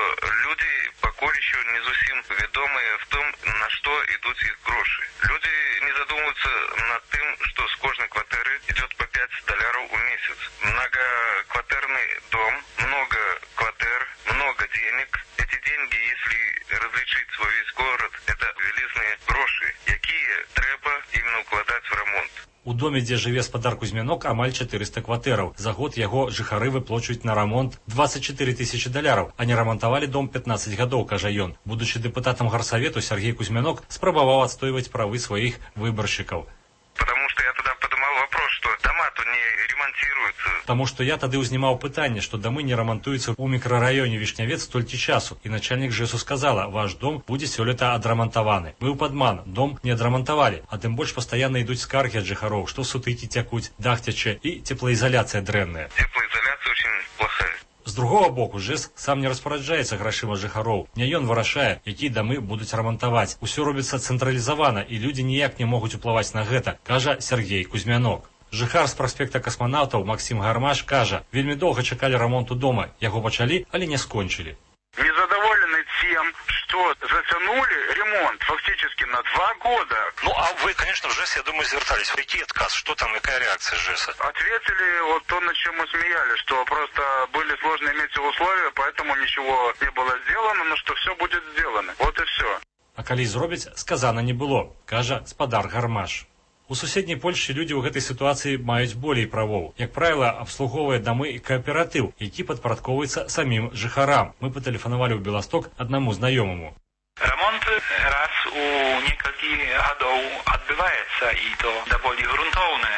людзі пакуль еще не зусім вядомыя в том, на што ідуць іх грошы. Людзі не задумываюцца над тым, што з кожнай кватэры идет по $5 в месяц. Многокватэрный дом, много кватэр, много денег. Эти деньги, если различить свой весь город, это велизные грошы, якія трэба именно укладаць в ремонт. У доме, дзе жыве спадар Кузьмянок, амаль 400 кватэраў. За год яго жыхары выплачваюць на рамонт $24 000, а не рамантавалі дом 15 гадоў, кажа ён. Будучы дэпутатам гарсавету, Сергей Кузьмянок спрабаваў адстойваць правы сваіх выбаршчыкаў. Потому что я тогда поднимал вопрос, что дома-то не ремонтируются. Таму што я тады ўзнімаў пытанне, што дамы не рамантуюцца ў мікрараёне Вішнявец столькі часу. І начальнік ЖЭСу сказала, ваш дом будзе сёлета адрамантаваны. Быў падман, дом не адрамантавалі, а тым больш пастаянна ідуць скаргі ад жыхароў, што сутыкі цякуць, дах цячэ і цеплаізаляцыя дрэнная. Теплоизоляция очень плохая. З другого боку, ЖЭС сам не распараджаецца грашыма жыхароў. Не ён вырашае, якія дамы будуць рамантаваць. Усё робіцца цэнтралізавана, і людзі ніяк не могуць уплываць на гэта, кажа Сергей Кузьмянок. Жыхар з праспекта касманаўтаў Максим Гармаш кажа, вельмі доўга чакалі рамонту дома, яго пачалі, але не скончылі. Незадоволены тем, что затянули ремонт фактически на 2 года. Ну, а вы, конечно, в ЖЭС, я думаю, звертались. Какой отказ? Что там, какая реакция ЖЭСа? Ответили вот то, над чем мы смеялись, что просто были сложные метеоусловия, поэтому ничего не было сделано, но что все будет сделано. Вот и все. А калі зробіць, сказана не было, кажа спадар Гармаш. У суседняй Польшчы людзі ў гэтай сітуацыі маюць болей правоў. Як правіла, абслугоўвае дамы і кааператыў, які падпарадкоўваецца самім жыхарам. Мы патэлефанавалі ў Беласток аднаму знаёмаму. Ремонт раз у некалькі гадоў адбываецца, і то даволі грунтоўны.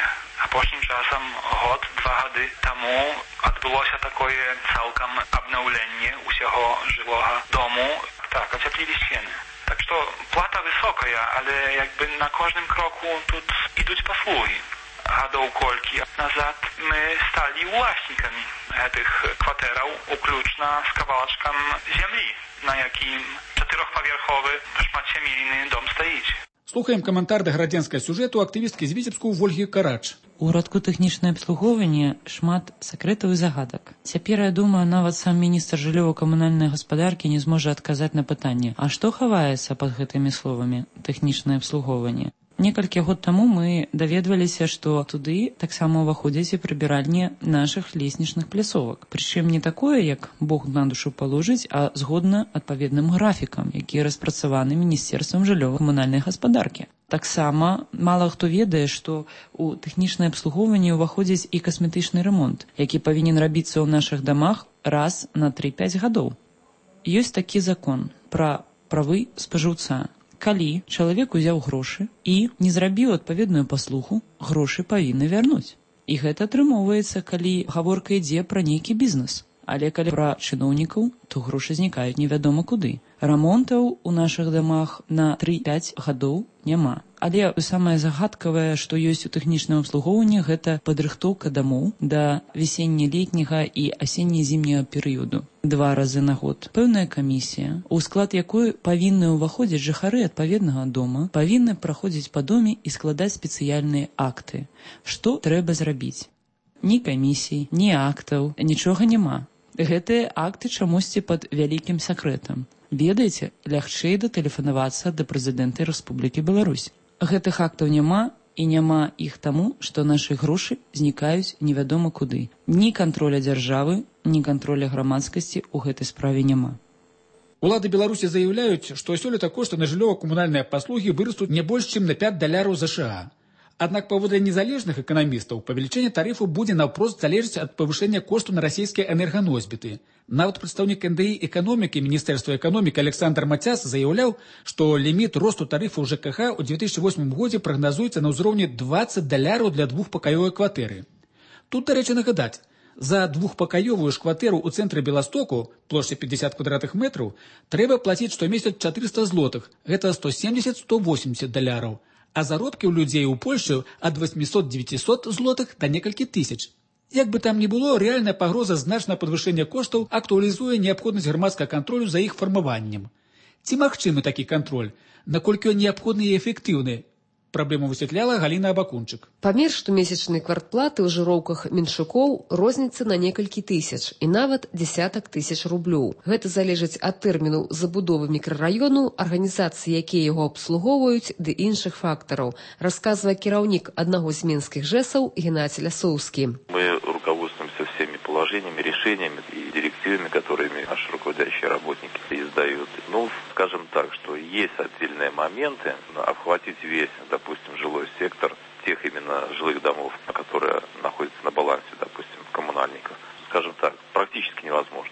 Апошнім часам, год-два гады таму адбылося такое цалкам абнаўленне ўсяго жылога дому. Так, ацяплілі сцены. Так что плата высокая, але якby на кожnym kroku тут ідуць паслуги. Гадоў колькі назад мы сталі ўласнікамі гэтых кватэраў, уключна з кавалачкам зямлі, на якім 4-павярховы шматсямейны дом стаіць. Слухаем каментар да гарадзенскага сюжэту актывісткі з Віцебску Вольгі Карач. У радку тэхнічнае абслугоўванне шмат сакрэтаў і загадак. Цяпер, я думаю, нават сам міністр жыллёва-камунальнай гаспадаркі не зможа адказаць на пытанне, а што хаваецца пад гэтымі словамі тэхнічнае абслугоўванне. Некалькі год таму мы даведваліся, што туды таксама ўваходзяць і прыбіральні нашых леснічных пляцовак. Прычым не такое, як Бог на душу паложыць, а згодна адпаведным графікам, які распрацаваны Міністэрствам жыллёва-камунальнай гаспадаркі. Таксама мала хто ведае, што у тэхнічнае абслугоўванне ўваходзіць і касметычны ремонт, які павінен рабіцца ў нашых дамах раз на 3-5 гадоў. Ёсць такі закон пра правы спажыўца. Калі чалавек узяў грошы і не зрабіў адпаведную паслугу, грошы павінны вярнуць. І гэта атрымоўваецца, калі гаворка ідзе пра нейкі бізнес. Але калі пра чыноўнікаў, то грошы знікаюць невядома куды. Рамонтаў у нашых дамах на 3-5 гадоў няма. Але самае загадкавае, што ёсць у тэхнічным абслугоўванні, гэта падрыхтоўка дамоў да весенне-летняга і асенне-зімняга перыяду. 2 разы на год. Пэўная камісія, у склад якой павінны ўваходзіць жыхары адпаведнага дома, павінны праходзіць па доме і складаць спецыяльныя акты. Што трэба зрабіць? Ні камісій, ні актаў, нічога няма. Гэтыя акты чамусьці пад вялікім сакрэтам. Ведаеце, лягчэй датэлефанавацца да прэзідэнта Рэспублікі Беларусь. Гэтых актаў няма, і няма іх таму, што нашы грошы знікаюць невядома куды. Ні кантроля дзяржавы, ні кантроля грамадскасці ў гэтай справе няма. Улады Беларусі заяўляюць, што сёлета кошты на жыллёва-камунальныя паслугі вырастуць не больш, чым на $5 США. Аднак, паводле незалежных эканамістаў, павелічэнне тарыфу будзе наўпрост залежыць ад павышэння кошту на расійскія энерганосьбіты. Нават прадстаўнік НДІ эканомікі Міністэрства эканомікі Александр Мацяс заяўляў, што ліміт росту тарыфу ЖКХ ў 2008 годзе прагназуецца на ўзроўні $20 для двухпакаёвай кватэры. Тут, дарэчы, нагадаць, за двухпакаёвую ж кватэру ў цэнтры Беластоку, плошча 50 квадратных метраў, трэба плаціць штомесяц 400 злотых, гэта $170–180. А заробкі ў людзей у Польшчы ад 800–900 злотых да некалькі тысяч. Як бы там ні было, рэальная пагроза значнага падвышэння коштаў актуалізуе неабходнасць грамадскага кантролю за іх фармаваннем. Ці магчымы такі кантроль? Наколькі ён неабходны і эфектыўны? Праблему высвятляла Галіна Абакунчык. Памер штомесячнай квартплаты ў жыроўках меншукоў розніцца на некалькі тысяч і нават дзесятак тысяч рублёў. Гэта залежыць ад тэрміну забудовы мікрараёну, арганізацыі, якія яго абслугоўваюць, ды іншых фактараў, расказвае кіраўнік аднаго з менскіх ЖЭСаў Геннадзій Лясоўскі. Мы руководствуемся всеми положениями, решениями и директивами, которыми наши руководящие работники издают. Скажем так, что есть отдельные моменты, охватить весь, допустим, жилой сектор тех именно жилых домов, которые находятся на балансе, допустим, коммунальников, скажем так, практически невозможно.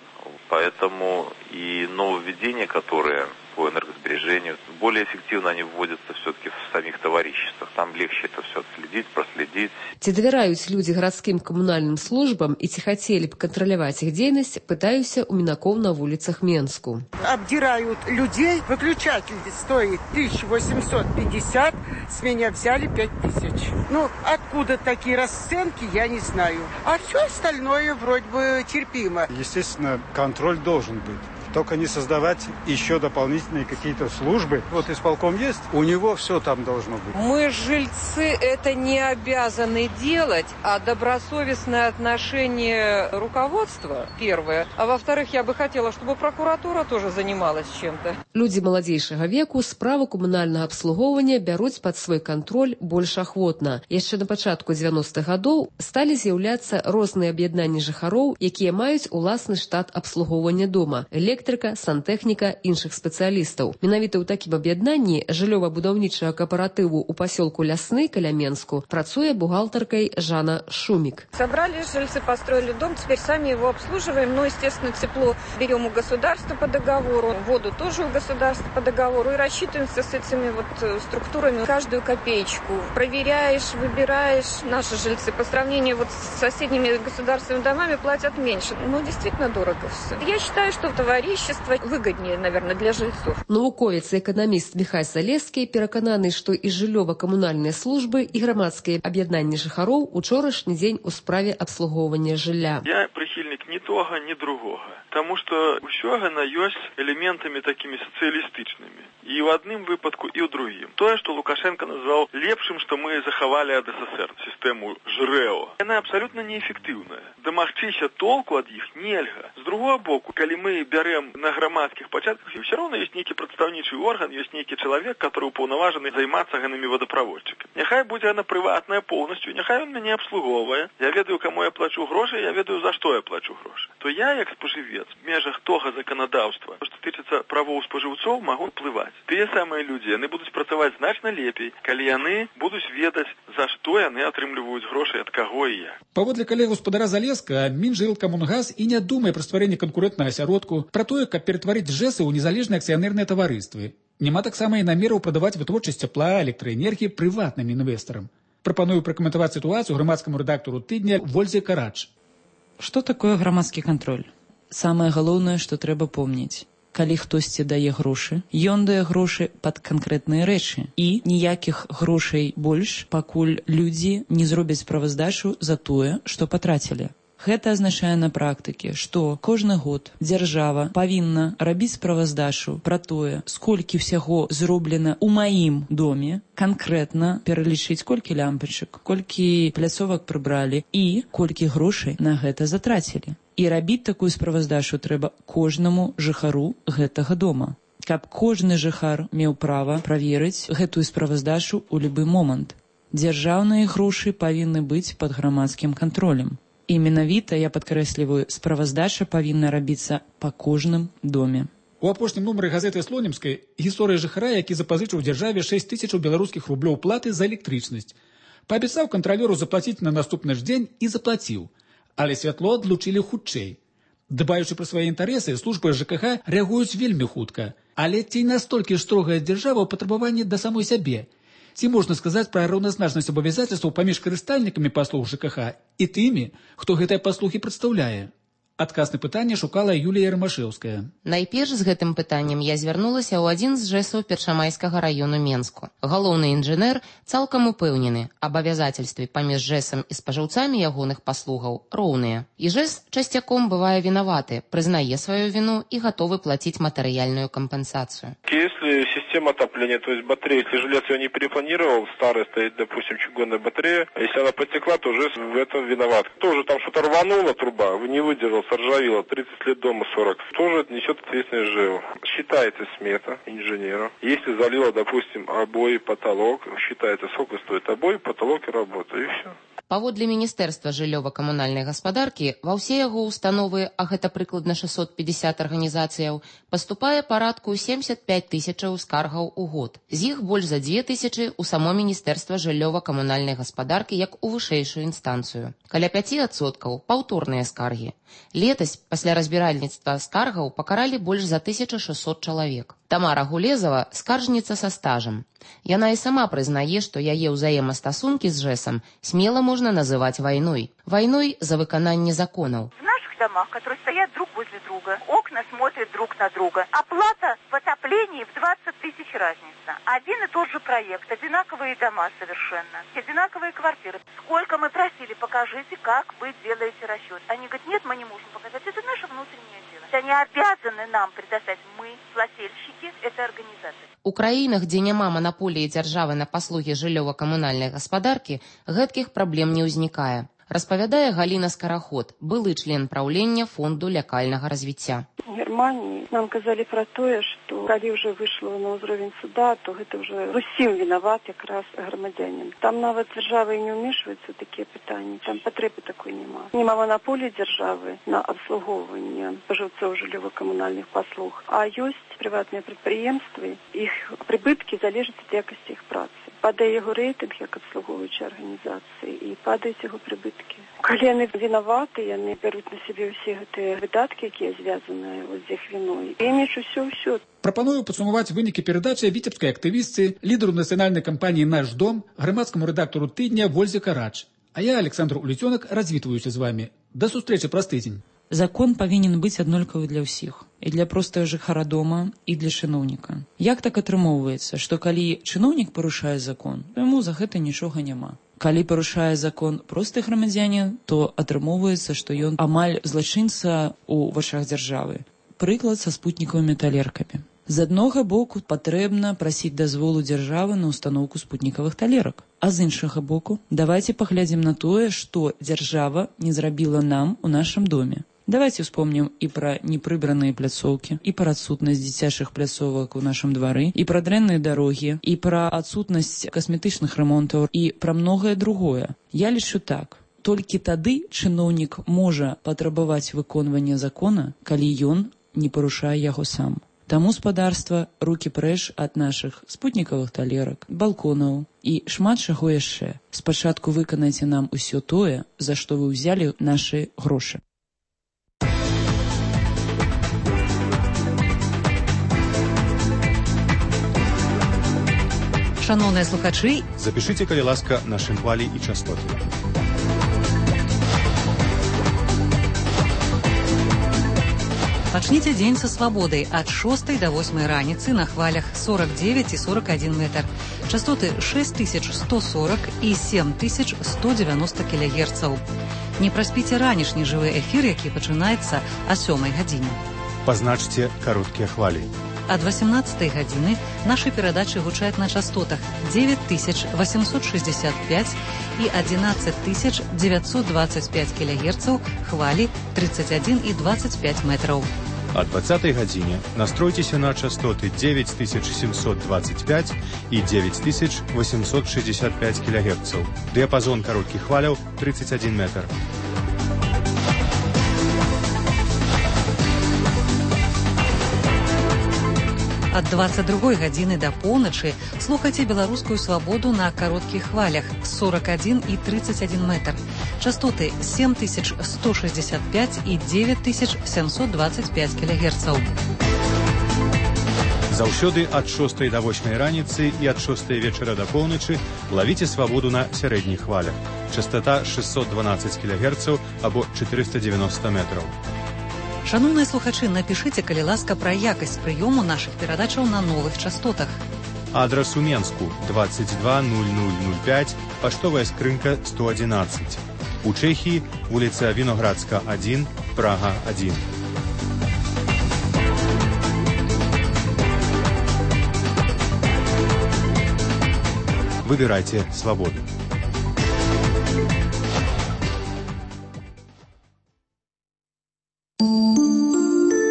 Поэтому и нововведения, которые по энергосбережению, более эффективно они вводятся все-таки в самих товариществах. Там легче это все отследить, проследить. Ці давяраюць людзі гарадскім камунальным службам і ці хацелі б кантраляваць іх дзейнасць, пытаюся у мінакоў на вуліцах Менску. Обдирают людей, выключатель стоит 1850, с меня взяли 5000. Откуда такие расценки, я не знаю. А все остальное вроде бы терпимо. Естественно, контроль должен быть. Только не создавать еще дополнительные какие-то службы. Вот исполком есть, у него все там должно быть. Мы, жильцы, это не обязаны делать, а добросовестное отношение руководства, первое. А во-вторых, я бы хотела, чтобы прокуратура тоже занималась чем-то. Людзі маладзейшага веку справу камунальнага абслугоўвання бяруць пад свой кантроль больш ахвотна. Яшчэ на пачатку 90-х гадоў сталі з'яўляцца розныя аб'яднанні жыхароў, якія маюць уласны штат абслугоўвання дома. Электрыка, сантэхніка, іншых спецыялістаў. Менавіта ў такім аб'яднанні жыллёва-будаўнічага кааператыву ў пасёлку Лясны каля Менску працуе бухгалтаркай Жанна Шумик. Собрали жильцы, построили дом, теперь сами его обслуживаем. Естественно, тепло берем у государства по договору, воду тоже у государства по договору и рассчитываемся с этими структурами каждую копеечку. Проверяешь, выбираешь. Наши жильцы по сравнению с соседними государственными домами платят меньше. Действительно дорого все. Я считаю, что товарищество выгоднее, наверное, для жильцов. Навуковец і эканаміст Міхай Залескі перакананы, што і жыллёва-камунальныя службы, і грамадскія аб'яднанні жыхароў учорашні дзень у справе абслугоўвання жылля. Я прихильник ні того, ні другого. Тому що ўсё яно ёсць элементамі такімі сацыялістычнымі. І ў адным выпадку, і ў другім. Тое, што Лукашенко назваў лепшым, што мы захавалі ад СССР, сістэму ЖРЭО. Яна абсалютна неэфектыўная. Дамагчыся толку ад іх нельга. З другого боку, калі мы бярем на грамадскіх пачатках, все равно ёсць нейкі прадстаўнічы орган, ёсць нейкі чалавек, который упаўнаважаны займацца ганымі водопроводчыкамі. Няхай будзе яна прыватная поўнасцю, няхай ён мяне абслугоўвае. Я ведаю, каму я плачу грошы, я ведаю, за што я плачу грошы. То я, як спажывец, в межах того заканадаўства, што тычыцца правоў спажыўцоў, магу ўплываць. Тыя самыя людзі, яны будуць працаваць значна лепей, калі яны будуць ведаць, за што яны атрымліваюць грошы, ад каго і як. Паводле калег гаспадара Залеска, Мінжылкамунгаз і не думае пра стварэнне канкурэнтнага асяродку, пра тое, каб ператварыць ЖЭСы ў незалежныя акцыянерныя таварыствы. Няма таксама і намераў прадаваць вытворчасць цяпла, электраэнергіі прыватным інвестарам. Прапаную пракаментаваць сітуацыю грамадскаму рэдактару тыдня Вользе Карач. Што такое грамадскі кантроль? Самае галоўнае, што трэба помніць. калі хтосьці дае грошы, ён дае грошы пад канкрэтныя рэчы. І ніякіх грошай больш, пакуль людзі не зробяць справаздачу за тое, што патрацілі. Гэта азначае на практыке, што кожны год дзяржава павінна рабіць справаздачу пра тое, сколькі ўсяго зроблена ў маім доме, канкрэтна пералічыць, колькі лямпачак, колькі пляцовак прыбралі і колькі грошай на гэта затрацілі. І рабіць такую справаздачу трэба кожнаму жыхару гэтага дома, каб кожны жыхар меў права праверыць гэтую справаздачу ў любы момант. Дзяржаўныя грошы павінны быць пад грамадскім кантролем. І менавіта, я падкрэсліваю, справаздача павінна рабіцца па кожным доме. У апошнім нумары газеты «Слонімскай» гісторыя жыхара, які запазычыў дзяржаве 6 000 беларускіх рублёў платы за электрычнасць. Паабяцаў кантралёру заплаціць на наступны ж дзень і заплаціў. Але святло адлучылі хутчэй. Дбаючы пра свае інтарэсы, службы ЖКХ рэагуюць вельмі хутка. Але ці настолькі ж строгая дзяржава ў патрабаванні да самой сябе? Ці можна сказаць пра раўназначнасць абавязацельстваў паміж карыстальнікамі паслуг ЖКХ і тымі, хто гэтыя паслугі прадстаўляе? Адказ на пытанне шукала Юлія Рамашэўская. Найперш з гэтым пытаннем я звярнулася ў адзін з ЖЭСаў Першамайскага раёну Менску. Галоўны інжынер цалкам упэўнены, абавязацельствы паміж ЖЭСам і спажыўцамі ягоных паслугаў роўныя. І ЖЭС часцяком бывае вінаваты, прызнае сваю віну і гатовы плаціць матэрыяльную кампенсацию. Если система отопления, то есть батарея, если жилец ее не перепланировал, старая стоит, допустим, чугунная батарея, если она потекла, то ЖЭС в этом виноват. Тоже там что-то рванула труба, не выдержал, соржавела, 30 лет дома 40. Тоже несет ответственность ЖЭО. Считается смета инженера. Если залила, допустим, обои, потолок, считается, сколько стоит обои, потолок и работа, и все. Паводле Міністэрства жыллёва-камунальнай гаспадаркі, ва ўсе яго установы, а гэта прыкладна 650 арганізацыяў, паступае парадку 75 000 скаргаў у год. З іх больш за 2000 у само Міністэрства жыллёва-камунальнай гаспадаркі як у вышэйшую інстанцыю. Каля 5% паўторныя скаргі. Летась, пасля разбіральніцтва скаргаў, пакаралі больш за 1600 чалавек. Тамара Гулезава скаржніца са стажам. Яна і сама прызнае, што яе ўзаемастасункі з ЖЭСам смела можна называць вайной. Вайной за выкананне законаў. В наших домах, которые стоят друг возле друга, окна смотрят друг на друга. Оплата в отоплении в 20 000 разница. Один и тот же проект, одинаковые дома совершенно, одинаковые квартиры. Сколько мы просили, покажите, как вы делаете расчет. Они говорят, нет, мы не можем показать, это наше внутреннее дело. Они обязаны нам предоставить, мы, плательщики этой организации. У краінах, дзе няма манаполіі дзяржавы на паслугі жыллёва-камунальнай гаспадаркі, гэткіх праблем не ўзнікае. Распавядае Галіна Скараход, былы член праўлення фонду лякальнага развіцця. В Германии нам казали про тое, что калі уже вышло на ўзровень суда, то гэта уже усім виноват якраз громадянин. Там нават дзяржава і не ўмешваецца ў такія пытанні, там патрэбы такой няма. Нема монополии дзяржавы на абслугоўванне спажыўцоў жыллёва-камунальных паслуг, а ёсць прыватныя прадпрыемствы, іх прыбыткі залежаць ад якасці іх працы. Падае яго рэйтынг як абслугоўваючай арганізацыі і падаюць яго прыбыткі. Калі яны вінаваты, яны бяруць на сябе ўсе гэтыя выдаткі, якія звязаныя з іх віной. Імідж усё. Прапаную падсумаваць вынікі перадачы віцебскай актывістцы, лідару нацыянальнай кампаніі «Наш дом», грамадскаму рэдактару тыдня Вользе Карач. А я, Александр Улетёнок, развітваюся з вами. Да сустрэчы праз тыдзень. Закон павінен быць аднолькавы для ўсіх. І для простага жыхара дома, і для чыноўніка. Як так атрымоўваецца, што калі чыноўнік парушае закон, то яму за гэта нічога няма. Калі парушае закон просты грамадзянін, то атрымоўваецца, што ён амаль злачынца ў вачах дзяржавы. Прыклад са спутнікавымі талеркамі. З аднога боку патрэбна прасіць дазволу дзяржавы на ўстаноўку спутнікавых талерак. А з іншага боку, давайце паглядзім на тое, што дзяржава не зрабіла нам у нашым доме. Давайте вспомним и про непрыбранные пляцоўкі, и про адсутнасць дзіцячых пляцовак у нашым двары, и про дрэнныя дарогі, и про адсутнасць касметычных ремонтаў, и про многое другое. Я лічу так. Толькі тады чыноўнік можа патрабаваць выконвання закона, калі ён не парушае яго сам. Таму, спадарства, рукі прэч ад нашых спутнікавых талерак, балконаў і шмат чаго яшчэ. Спачатку выканайце нам усё тое, за што вы ўзялі нашы грошы. Шановныя слухачы, запішыце, калі ласка, нашым хвалі і частоты. Пачніце дзень са свабодай ад 6 до 8 раніцы на хвалях 49 і 41 метр. Частоты 6140 і 7190 кГц. Не праспіце ранішні жывы эфір, які пачынаецца о 7 гадзіне. Пазначце кароткія хвалі. Ад 18 гадзіны нашы перадачы гучаць на частотах 9865 і 11925 кГц, хвалі 31 і 25 метраў. О 20 гадзіне настройцеся на частоты 9725 і 9865 кГц. Дыяпазон кароткіх хваляў 31 метр. Ад 22 гадзіны да поўначы слухайце беларускую свабоду на кароткіх хвалях 41 і 31 метр. Частоты 7165 і 9725 кГц. Заўсёды ад 6 до 8 раніцы і ад 6 вечара да поўначы лавіце свабоду на сярэдніх хвалях. Частота 612 кГц або 490 метраў. Шановныя слухачы, напішыце, калі ласка, пра якасць прыёму нашых перадачаў на новых частотах. Адрас у Менску 220005, паштовая скрынка 111. У Чэхіі вуліца Віноградска 1, Прага 1. Выбірайце свабоду.